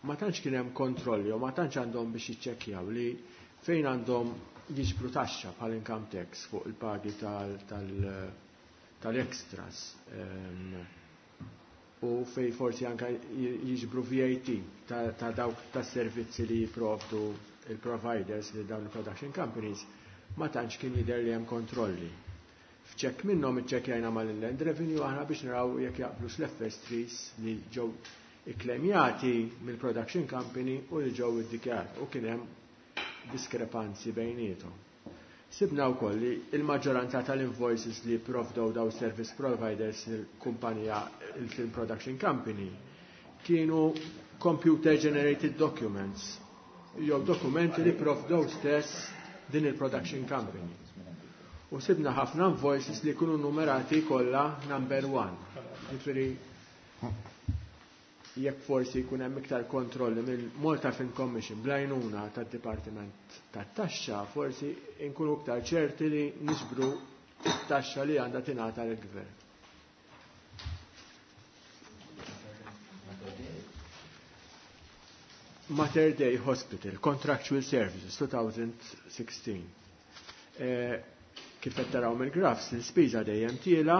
Speaker 6: ma tantx kien hemm kontrolli u ma tantx għandhom biex jiċċekkjaw li fejn għandhom jiġbru taxxa bħal income tax fuq il-pagi tal-extras u fej forsi anka jiġbru V A T ta' dawk tas-servizzi li jipprovdu il-providers li dawn il-production companies, ma tantx kien jidher li hemm kontrolli. F'ċekk minnhom iċċekkjajna mal-Inland Revenue aħna biex naraw jekk jaqblux l-F S threes li ġew ikklemjati mill-production company u li ġew iddikjarati u kien hemm diskrepanzi bejniethom. Sibna wkoll li l-maġġoranza tal-invoices li provdew daw service providers lill-kumpanija il-Film Production Company kienu computer generated documents jew dokumenti li provdew stess din il-production company. U sibna ħafna invoices li jkunu numerati kollha number one. Jiġifieri jekk forsi jkun hemm iktar kontrolli mill-Malta Film Commission bl-għajnuna tad-Dipartiment tat-Taxxa, forsi nkunu iktar ċerti li niġbru it-taxxa li għandha tingħata lill-Gvern. Mater Dei Hospital, Contractual Services, twenty sixteen. Eh, kif qed taraw mill-graphs, l-ispiża dejjem tiela.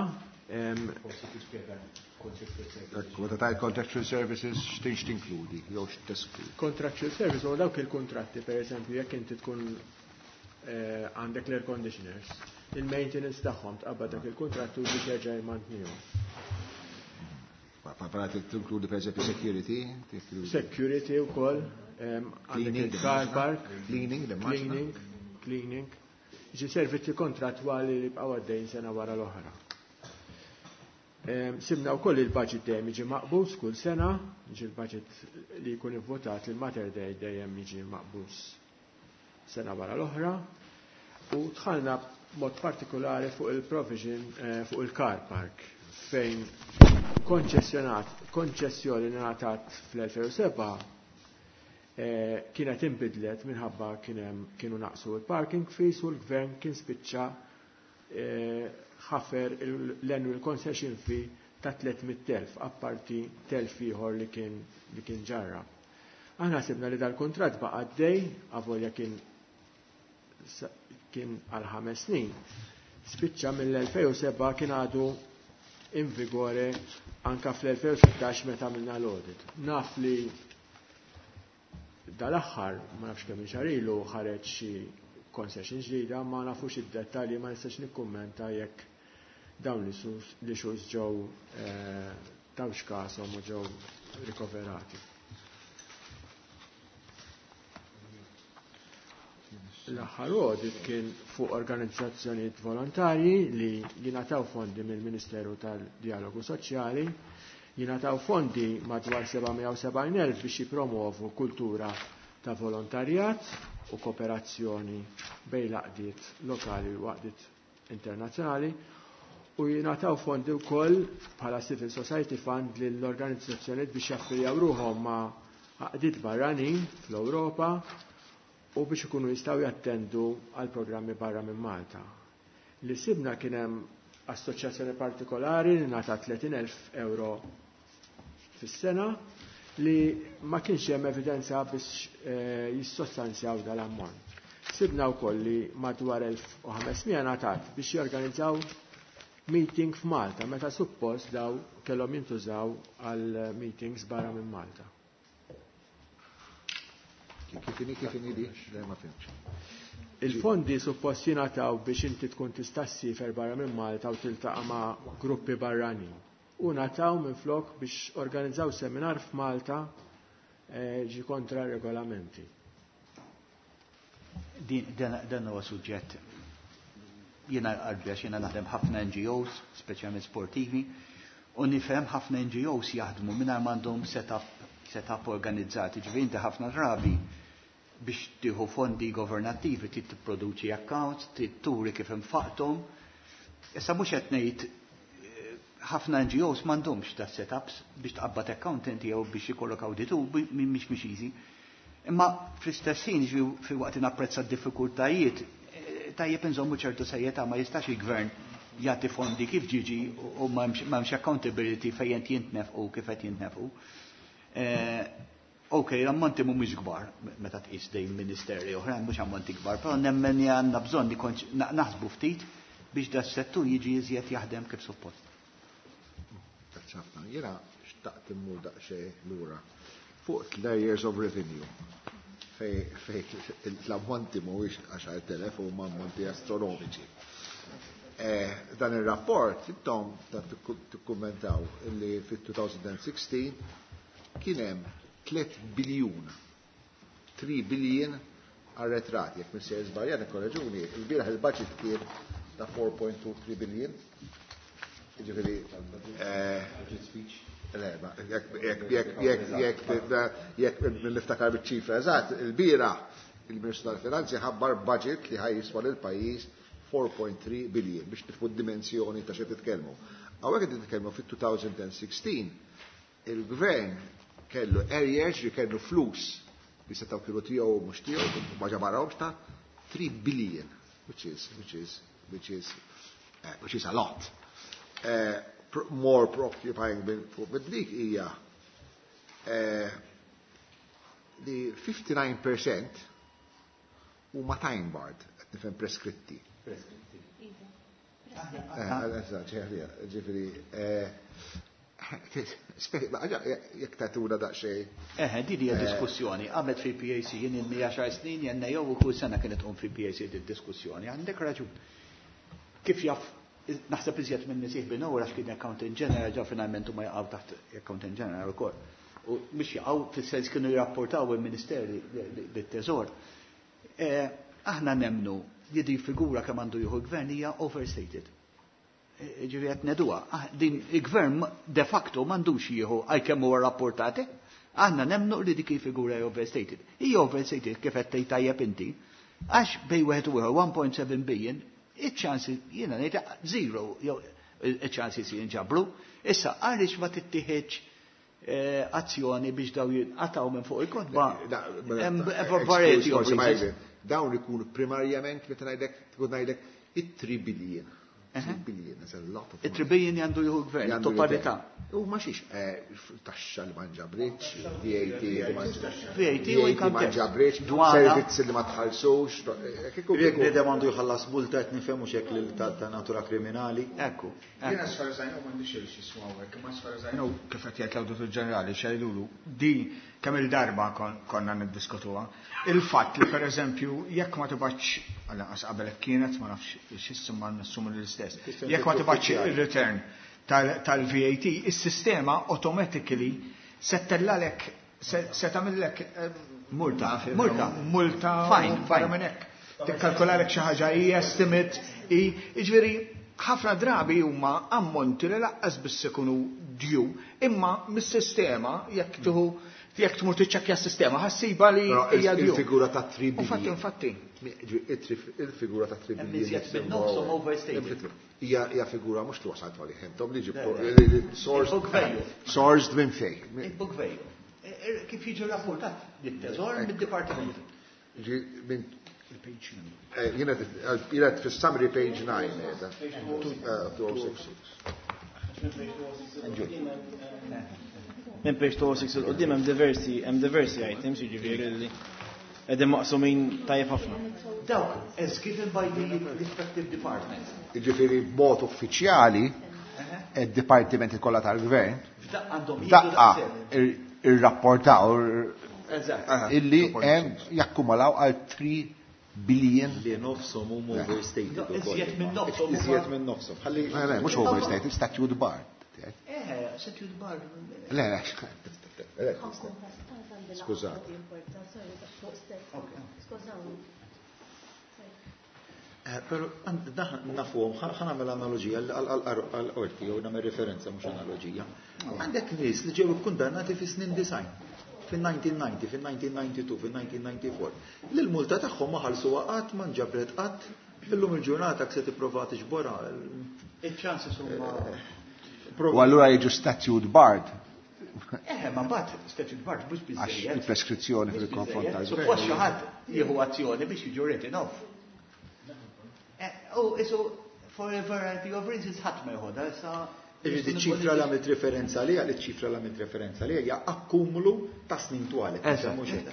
Speaker 2: Forsi tispjega Meta tajt contractual services, x'tinx tinkludi, jew x'teskludi?
Speaker 6: Contractual services huwa dawk il-kuntratti, pereżempju, jekk inti tkun għandek l-air conditioners, il-maintenance tagħhom tqabbad dak il-kuntrattu biex jerġa' jmantnihom.
Speaker 2: Parla tinkludi pereżempju security?
Speaker 6: Security wkoll, għandek il-car park,
Speaker 2: cleaning,
Speaker 6: cleaning, cleaning. Ġi servizzi kontrattwali li bqgħu għaddejn sena wara l-oħra. Sibna wkoll il-budget dejjem jiġi maqbus kull sena, jiġi l-budget li jkun ivvotat il-Mater Dei dejjem jiġi maqbus sena wara l-oħra. U dħalna mod partikolari fuq il-provision eh, fuq il-car park fejn konċessjonat, konċessjoni li ngħatat fl-elfejn u sebgħa eh, kienet inbidlet minħabba kienu naqsu il-parking fees u l-gvern kien spiċċa eh, ħafer l-annual concession fee ta' tliet mitt elf apparti telf ieħor li kien li kien ġarra. Aħna sibna li dal-kuntratt baqa' għaddej, avolja kien kien għal ħames snin. Spiċċa mill-elfejn u sebgħa kien għadu in vigore anka fl-elfejn u sittax meta għamilna l-audit. Naf li dal-aħħar, ma nafx kemm xahar ilu, ħareġ xi concession ġdida, ma nafux id-dettalji, ma nistax nikkummenta jekk dawn l-issues ġew eh, tawx kasom u ġew rikoverati. L-aħħar audit kien fuq organizzazzjonijiet volontarji li jingħataw fondi mill-Ministeru tal-Dialogu Soċjali, jingħataw fondi madwar seba' mija u sebgħin elf biex jipromovu kultura ta' volontarjat u kooperazzjoni bejn l-għaqdiet lokali u għaqdiet internazzjonali, u jingħataw fondi wkoll bħala Civil Society Fund lill-organizzazzjonijiet biex jaffiljaw ruħhom ma' għaqdiet barranin fl-Ewropa u biex ikunu jistgħu jattendu għal programmi barra minn Malta. Li sibna kien hemm assoċjazzjoni partikolari li ngħata tletin elf euro fis-sena li ma kienx hemm evidenza biex, eh, jissostanzjaw dal-ammont. Sibna wkoll li madwar elf u ħames mija ngħatat biex jorganizzaw meeting f'Malta, meta suppost daw kellhom jintużaw għal meetings barra minn Malta.
Speaker 2: Kif inhi, kif inhi di? Le, ma fimx.
Speaker 6: Il-fondi suppost jingħataw biex inti tkun tista' ssifer barra minn Malta u tiltaqa' ma' gruppi barranin. U ngħataw minflok biex organizzaw seminar f'Malta, eh, ġi kontra regolamenti.
Speaker 3: Din, dan, dan huwa suġġett. Jiena qarbi għax jiena naħdem ħafna N G Os, speċjalment sportivi, u nifhem ħafna N G Os jaħdmu mingħajr m'għandhom setup, setup organizzati. Ġifieri inti ħafna drabi biex tieħu fondi governattivi trid tipproduċi accounts, trid turi kif infaqthom. Issa mhux qed ngħid, eh, ħafna N G Os m'għandhomx da setups biex tqabbad accountant jew biex ikollok awditur, bi-, mi-, mhix mhix easy. Imma fl-istess ħin, ġifieri, fi waqt napprezza d-diffikultajiet, eh, tajjeb inżommu ċertu serjetà, ma jistax il-gvern jagħti fondi kif ġiġi u m'hemmx, m'hemmx accountability fejn qed jintnefqu kif qed jintnefqu. Eh, ok, l-ammonti mhumiex kbar, meta tqis dejn ministeri oħrajn mhux ammonti kbar, però nemmen li għandna bżonn li konċ-, na-, naħsbu ftit biex da s-settur jiġi iżjed jaħdem kif suppost.
Speaker 2: Grazzi ħafna. Jiena xtaqt immur daqsxejn lura fuq layers of revenue. Fej, fej l-ammonti mhuwiex għaxar telef huma ammonti astronomiċi. Eh, dan ir-rapport intom tikkummentaw illi fit-two thousand sixteen kien hemm tliet biljun, three billion arretrati. Jekk minn sejjer żbaljat ikkoreġuni, il-bieraħ il-budget kien ta' four point two three billion. Jiġifieri, eh, le, ma, jekk, jekk, jekk, jekk, jekk, jekk niftakar biċ-ċifra eżatt, il-bieraħ il-Ministru tal-Finanzi ħabbar budget li ħaj jiswa lil pajjiż four point three billion biex tifhu d-dimensjoni ta' xi titkellmu. Hawnhekk qed titkellmu fit-two thousand sixteen il-gvern kellu arrears li kellu flus li setgħu kienu tiegħu u mhux tiegħu, ma ġabarhomx ta' three billion, which is, which is, which is, eh, which is a lot. Eh, pr-, more preoccupying fuq dik hija, eh, li fifty-nine percent huma time barred, qed nifhem preskritti.
Speaker 3: Preskritti.
Speaker 2: Eh, eżatt, ġifieri, eh, jekk tagħtuna daqsxejn.
Speaker 3: Eħe, din hija
Speaker 2: Eh.
Speaker 3: diskussjoni. Għamet fi P A C jien inni għaxar snin, jenna jew kull sena kienet tqum fi P A C di diskussjoni. Għandek raġun. Kif jaf, naħseb iżjed minn nisih bin għax kien accountant general, ġa finalment huma jaqgħu taħt accountant general ukoll. U mhux jaqgħu fis-sens kienu jirrapportaw il-Ministeri lit-Teżor. Eh, aħna nemnu li din figura kemm għandu jieħu l-gvern hija overstated. Eh, ġifieri qed ngħiduha. Ah, din il-gvern de facto m'għandux jieħu għalkemm huwa rapportati. Aħna nemnu li dik il-figura hija overstated. Hija overstated kif qed tgħid tajjeb inti. Għax bejn wieħed u ieħor one point seven billion, iċ-ċansi jiena ngħid zero, jew iċ-ċansi si jinġabru. Issa għaliex ma tittieħedx eh, azzjoni biex daw jinqataw minn fuq il-kotba? Hemm variety of reasons.
Speaker 2: Dawn ikunu primarjament, meta ngħidlek, tkun ngħidlek it-three billion. three billion, that's a lot of
Speaker 3: money. It-three billion għandu jieħu gvern, totalità.
Speaker 2: U ma xiex, eh, taxxa li ma nġabritx, V A T li ma
Speaker 3: V A T u
Speaker 2: V A T ma nġabritx, servizzi li ma tħallsux. eh, kieku-
Speaker 10: Jekk bniedem għandu jħallas multa, qed nifhemu xek li ta' ta' natura kriminali.
Speaker 3: Ekku.
Speaker 8: Jien as far as I know m'għandix xi hawnhekk, imma as far as I know kif qed jgħid l-Awditur Ġenerali xejdulu di kemm il-darba kon- konna niddiskutuha. Il-fatt li, pereżempju, jekk ma tibgħatx, għal qabel hekk kienet, ma nafx x'isma, nassumi l-istess. Jekk ma tibgħatx il-return tal-V A T, is-sistema automatically se ttellalek, se se tagħmellek eh,
Speaker 3: Multa, multa.
Speaker 8: Multa.
Speaker 3: Fine,
Speaker 8: barra
Speaker 3: fine.
Speaker 8: minn hekk. Tikkalkulalek xi ħaġa i estimate i jiġifieri ħafna drabi huma ammonti li lanqas biss ikunu due, imma mis-sistema jekk tieħu jekk tmur tiċċekkja s-sistema ħa ssibha li
Speaker 2: Però
Speaker 8: hija due.
Speaker 2: il-figura ta' three
Speaker 8: Infatti,
Speaker 2: billion.
Speaker 8: Infatti.
Speaker 2: Il-figura ta' three
Speaker 3: Hemm
Speaker 2: billion.
Speaker 3: iżjed minn nofshom overstated.
Speaker 2: Hija hija figura mhux li wasalt għalih intom li ġibtu
Speaker 3: Le, le.
Speaker 2: sourced
Speaker 3: Il-book value.
Speaker 2: sourced minn fejn.
Speaker 3: Il-book value. E, e, Kif jiġu rapportat lit-teżor mid-dipartiment.
Speaker 2: Ġi minn eh, jiena jiena fis-summary page nine qiegħda. Eh, two oh six six.
Speaker 5: Minn page two oh six 'il quddiem hemm diversi hemm diversi items, jiġifieri li qegħdin maqsumin tajjeb ħafna.
Speaker 3: Dawk, as given by the respective departments.
Speaker 2: Jiġifieri b'mod uffiċjali id-dipartimenti kollha tal-gvern
Speaker 3: F'daqqa għandhom jieħdu
Speaker 2: daqqa
Speaker 3: daqshekk.
Speaker 2: ir- irrapportaw
Speaker 3: Eżatt.
Speaker 2: illi hemm jakkumulaw għal three billion.
Speaker 10: Li nofshom huma overstated ukoll.
Speaker 3: Iżjed minn nofshom huma-
Speaker 10: Iżjed minn nofshom. Ħalli
Speaker 2: Le, le, mhux overstated, statute bar.
Speaker 3: Eh, statute bar.
Speaker 2: Le, le, le, skużat.
Speaker 11: Skużawni.
Speaker 10: Eh, Pero nafuhom, ħa nagħmel analogija għal-qorti, jew nagħmel referenza, mhux analogija. Għandek nies li ġew kundannati fi snin disgħin, fil-elf disa' mija u disgħin, fil-elf disa' mija u disgħa u disgħin, fil-elf disa' mija u disgħa u disgħin. Li l-multa tagħhom ma ħallsuha qatt, ma nġabret qatt, illum il-ġurnata se tipprova tiġborha.
Speaker 3: Il-chances huma.
Speaker 2: U allura jiġu statute barred.
Speaker 3: Eh, ma mbagħad statute barred mhux
Speaker 2: Għax
Speaker 3: biżejjed.
Speaker 2: il-preskrizzjoni fil-konfront tal-gvern.
Speaker 3: Suppost xi ħadd jieħu azzjoni biex jiġu written off. Eh, U isu for a variety of reasons ħadd ma jħodha issa.
Speaker 10: Iġifieri ċifra li għamilt referenza li għal ċifra li għamilt referenza li hija akkumulu ta' snin twal.
Speaker 3: Eżatt.
Speaker 10: Mhux hekk.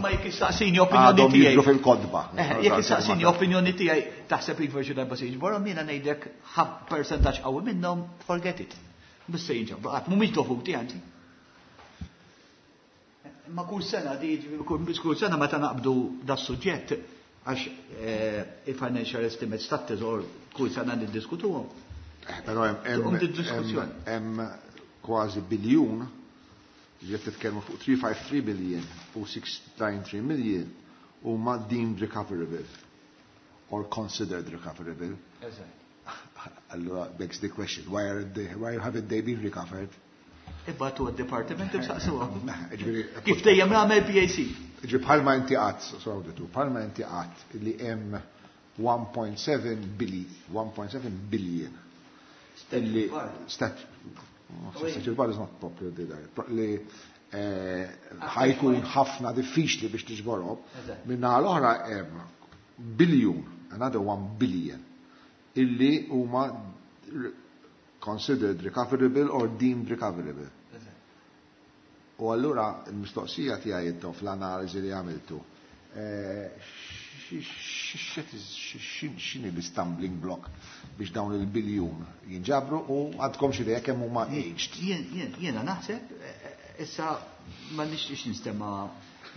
Speaker 3: Ma jekk issaqsini opinjoni
Speaker 2: Għadhom
Speaker 3: tiegħi.
Speaker 2: jidhru fil-kotba.
Speaker 3: Eh, jekk issaqsini opinjoni tiegħi, taħseb iva xi darba se jiġborhom, jiena ngħidlek ħab percentaġġ qawwi minnhom, forget it. Biss se jinġabru qatt, mhumiex dovuti anzi. Ma kull sena di kull kull sena meta naqbdu da suġġett, għax eh, il-financial estimates tat-teżor kull sena niddiskutuhom.
Speaker 2: Eh, Però hemm- hemm
Speaker 3: Tqum di-diskussjoni.
Speaker 2: hemm hemm kważi biljun li qed titkellmu fuq three hundred fifty-three billion u six hundred ninety-three million huma deemed recoverable or considered recoverable. Allura begs the question, why are they, why haven't they been recovered?
Speaker 3: Ibagħtu għad-departiment imsaqsuhom.
Speaker 2: Ġifieri,
Speaker 3: Kif dejjem nagħmel P A C.
Speaker 2: Ġi bħalma inti għat, sawditu, bħalma inti għat li hemm one point seven billion, one point seven billion illi stat statute bar is not properly li eh, ħa jkun ħafna diffiċli biex tiġborhom.
Speaker 3: Eżatt.
Speaker 2: Minna l-oħra hemm biljun, another one billion, illi huma considered recoverable or deemed recoverable. U allura il-mistoqsija tiegħi intom fl-analiżi li għamiltu, eh, x'inhi l-stumbling block biex dawn il-biljun jinġabru u għandkom xi idea kemm huma aged?
Speaker 3: Jien- jien- Jiena naħseb, eh, issa ma nixtiex ninstema'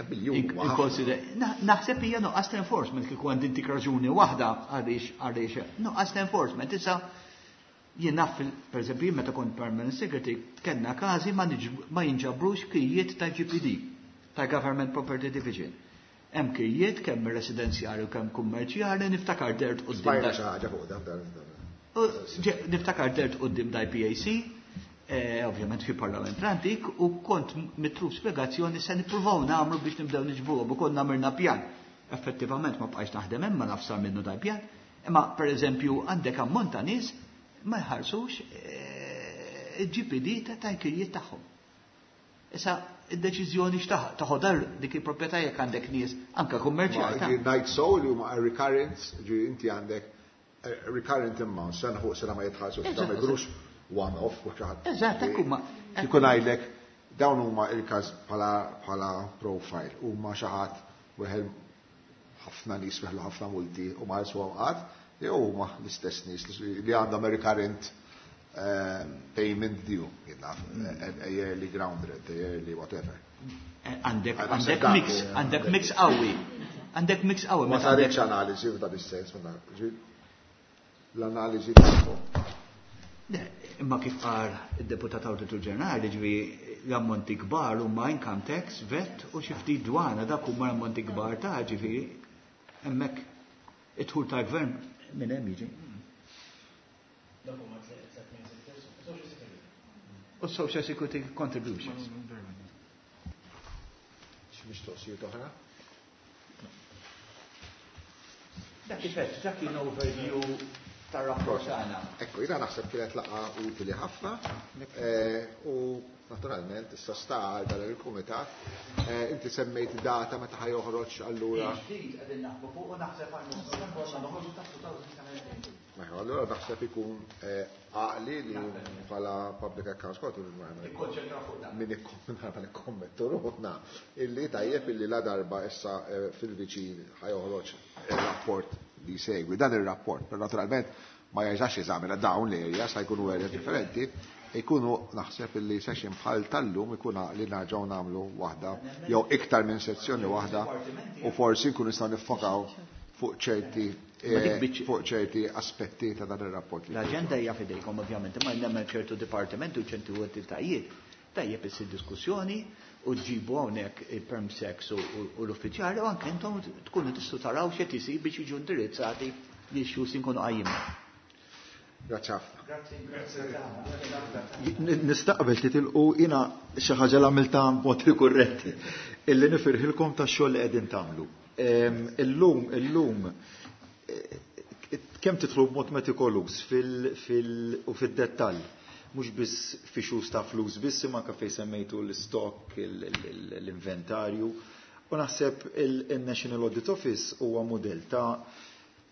Speaker 2: Biljun huwa ħafna.
Speaker 3: inkonsider- Na- Naħseb hija nuqqas ta' enforcement. Kieku għandi intik raġuni waħda għaliex għaliex nuqqas ta' enforcement. Issa jien naf fil- per eżempju, meta kont permanent secretary kellna każi ma niġ- ma jinġabrux kijiet ta' G P D, ta' Government Property Division. Hemm kijiet kemm residenzjali u kemm kummerċjali, niftakar dert quddiem
Speaker 2: Spajna
Speaker 3: da-
Speaker 2: xi ħaġa fuq dan dan.
Speaker 3: U ġe- Niftakar dert quddiem da P A C, eh, ovvjament fi parlament antik, u kont mitlub spjegazzjoni se nippruvaw nagħmlu biex nibdew niġbruhom u konna għamilna pjan. Effettivament ma bqajx naħdem hemm, ma nafx sar minnu dal pjan. Imma pereżempju għandek ammont ta' nies ma jħarsux eh, il-G P D ta' tal-kirjiet tagħhom. Issa id-deċiżjoni x'taħ taħodha dik il-proprjetà jekk għandek nies anke kummerċjali.
Speaker 2: Ma, ngħid so li huma recurrent, ġi inti għandek, eh, recurrent amount, sena fuq sena ma jitħallsu,
Speaker 3: Eżatt.
Speaker 2: ma jkunux one off u xi ħadd.
Speaker 3: Eżatt, hekk huma.
Speaker 2: Kieku ngħidlek dawn huma il-każ bħala, bħala profile, huma xi ħadd weħel ħafna nies weħlu ħafna multi u ma ħallsuhom qatt, jew huma l-istess nies li, li għandhom recurrent, eh, payment due, jien naf, a, a yearly ground rent, a yearly whatever.
Speaker 3: Eh, għandek,
Speaker 2: Għandek
Speaker 3: għandek
Speaker 2: dak,
Speaker 3: mix,
Speaker 2: eh,
Speaker 3: għandek mix qawwi. Għandek mix qawwi,
Speaker 2: Ma
Speaker 3: meta għandek
Speaker 2: saritx analiżi f'dan is-sens, ma nafx, ġi, l-analiżi tagħhom.
Speaker 3: Le, imma kif qal id-deputat Awditur Ġenerali, ġifi l-ammonti kbar huma income tax, V A T u xi ftit dwana, dak huma l-ammonti kbar ta' ġifieri hemmhekk id-dħul tal-gvern minn hemm jiġi.
Speaker 5: Dak huma tliet main sectors, social security.
Speaker 3: U social security contributions.
Speaker 2: Xi mistoqsijiet oħra?
Speaker 3: Dak kif dak kien overview tar-rapport tagħna.
Speaker 2: Ekku, jiena naħseb kienet laqgħa utili ħafna, eh, u naturalment issa sta għal dan il-kumitat. Eh, inti semmejt data meta ħa joħroġ allura.
Speaker 3: Ġdid qegħdin naħbu fuq u naħseb għal nofs noħorġu ta' two thousand seventeen.
Speaker 2: Mela, allura naħseb ikun, eh, għaqli li bħala Public Accounts Committee
Speaker 3: Nikkonċentraw fuq dan.
Speaker 2: Min ikkommettu ruħna illi tajjeb illi la darba issa, eh, fil-viċin ħajoħroġ il-rapport li jsegwi dan ir-rapport, però naturalment ma jerġax jeżamina dawn l-areas, sa jkunu areas differenti, jkunu naħseb illi session bħal tal-lum ikun għaqli nerġgħu nagħmlu waħda jew iktar minn sezzjoni waħda u forsi nkunu nistgħu niffokaw fuq ċerti,
Speaker 3: Ma dik
Speaker 2: eh,
Speaker 3: biċ-
Speaker 2: fuq ċerti aspetti ta' dan ir-rapport li
Speaker 3: L-aġenda hija fidejkom ovvjament, imma nemmen ċertu dipartimenti u ċertu entitajiet tajjeb issir diskussjoni u ġibu hawnhekk il-perm sex u, u, u l-uffiċjali u anke intom tkunu tistgħu taraw x'qed isir biex jiġu indirizzati li issues inkunu qajjimna.
Speaker 2: Grazzi ħafna.
Speaker 10: N-, nistaqbel titilqu jiena xi ħaġa li għamiltha b'mod rikurrenti illi nifirħilkom tax-xogħol li qegħdin tagħmlu. Ehm, illum, illum, eh, kemm tidħlu b'mod metikoluż fil-, fil-, u fid-dettall, mhux biss fi xus ta' flus biss, imma anke fejn semmejtu l-stock, il-, il-, il-, l-inventarju. U naħseb il-, il-National Audit Office huwa mudell ta'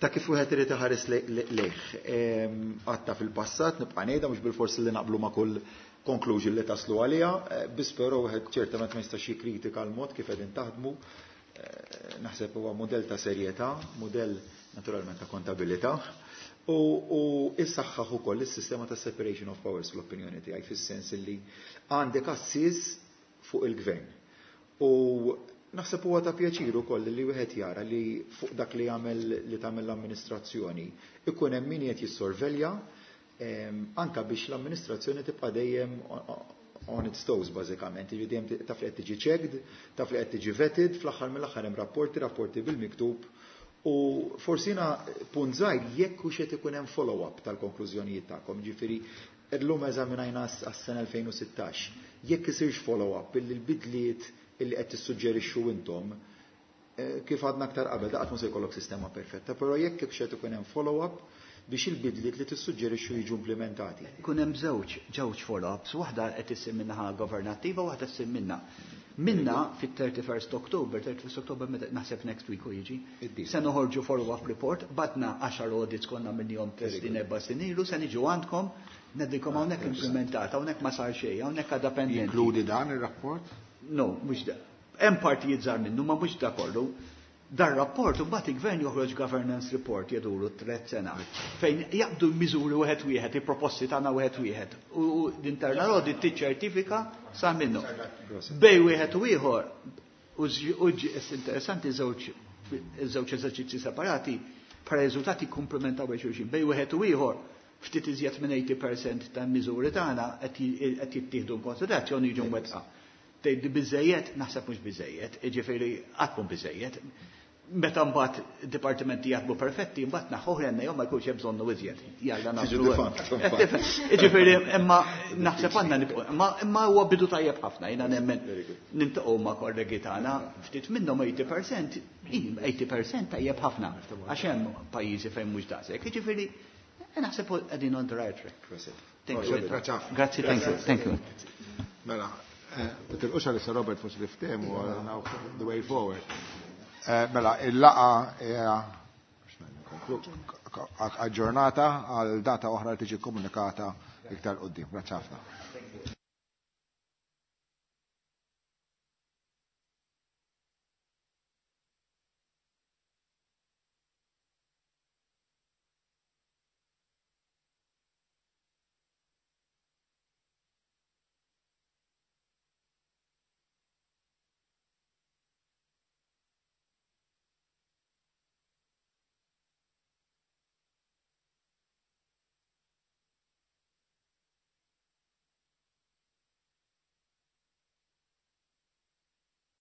Speaker 10: ta' kif wieħed irid iħares le-, le-, lejh. Ehm, għatta fil-passat nibqa' ngħidha mhux bil-forsi li naqblu ma' kull conclusion li taslu għaliha, eh, biss però wieħed ċertament ma jistax jikkritika l-mod kif qegħdin taħdmu. Eh, naħseb huwa mudell ta' serjetà, mudell naturalment ta' kontabilità, u, u issaħħaħ ukoll is-sistema ta' separation of powers fl-opinjoni tiegħi, fis-sens li għandek assis fuq il-gvern. U naħseb huwa ta' pjaċir ukoll li wieħed jara li fuq dak li jagħmel li tagħmel l-amministrazzjoni ikun hemm min qed jissorvelja, ehm, anka biex l-amministrazzjoni tibqa' dejjem on its toes bażikament, jiġifieri dejjem ti-, taf li qed tiġi checked, taf li qed tiġi vetted, fl-aħħar mill-aħħar hemm rapporti, rapporti bil-miktub, u forsi jiena punt żgħir jekk hux qed ikun hemm follow-up tal-konklużjonijiet tagħkom, jiġifieri llum eżaminajna għas-, għas-sena elfejn u sittax, jekk isirx follow-up billi l-bidliet illi qed tissuġġerixxu intom, eh, kif għadna aktar qabel, da qatt mhu se jkollok sistema perfetta, però jekk hekk qed ikun hemm follow-up biex il-bidliet li tissuġġerixxu jiġu implementati.
Speaker 3: Ikun hemm żewġ, żewġ follow-ups, waħda qed issir minnaħa governattiva u waħda ssir minna. Minna fit-thirty-first October, thirty-first October meta naħseb next week u jiġi,
Speaker 2: Id-disa.
Speaker 3: se noħorġu follow-up report, batna għaxar audits konna minnhom tliet snin, erba' snin ilu, se niġu għandkom, ngħidilkom hawnhekk implementata, hawnhekk ma sar xejn, hawnhekk għadha pendenti.
Speaker 2: Jinkludi dan ir-rapport?
Speaker 3: No, mhux da. Hemm partijiet żgħar minnu, ma mhux da kollu. Dar rapport u mbagħad il-gvern joħroġ governance report jeduru tliet sena fejn jaqbdu l-miżuri wieħed wieħed, il-proposti tagħna wieħed wieħed. U, u l-internal audit tiċċertifika sa minnu. Bej wieħed u ieħor, u ż-, u ġ-, interessanti żewġ, żewġ eżerċizzji separati, bħala riżultati komplementaw bejn xulxin. Bej wieħed u ieħor ftit iżjed minn eighty percent tal-miżuri tagħna qed j-, qed jittieħdu konsiderazzjoni jiġu mwettqa. Tgħid biżejjed, naħseb mhux biżejjed, jiġifieri qatt mhu biżejjed. Meta mbagħad dipartimenti jaħdmu perfetti, mbagħad naħħuh l-N A O, ma jkunx hemm bżonnu iżjed. Jalla
Speaker 2: Tiġi
Speaker 3: nagħmlu.
Speaker 2: defunct.
Speaker 3: Jiġifieri, imma naħseb għandna nibqgħu, imma imma huwa bidu tajjeb ħafna, jiena nemmen niltaqgħu ma' kollegi tagħna, ftit minnhom tmenin fil-mija, tmenin fil-mija tajjeb ħafna, għax hemm pajjiżi fejn mhux daqshekk. Jiġifieri, naħseb qegħdin on the right track. Thank you. Grazzi, thank you. Thank you.
Speaker 2: Mela, titilqux għalissa, Robert, forsi li ftehmu the way forward. Eh, mela, il-laqgħa hija aġġornata għal data oħra li tiġi komunikata iktar quddiem. Grazzi ħafna.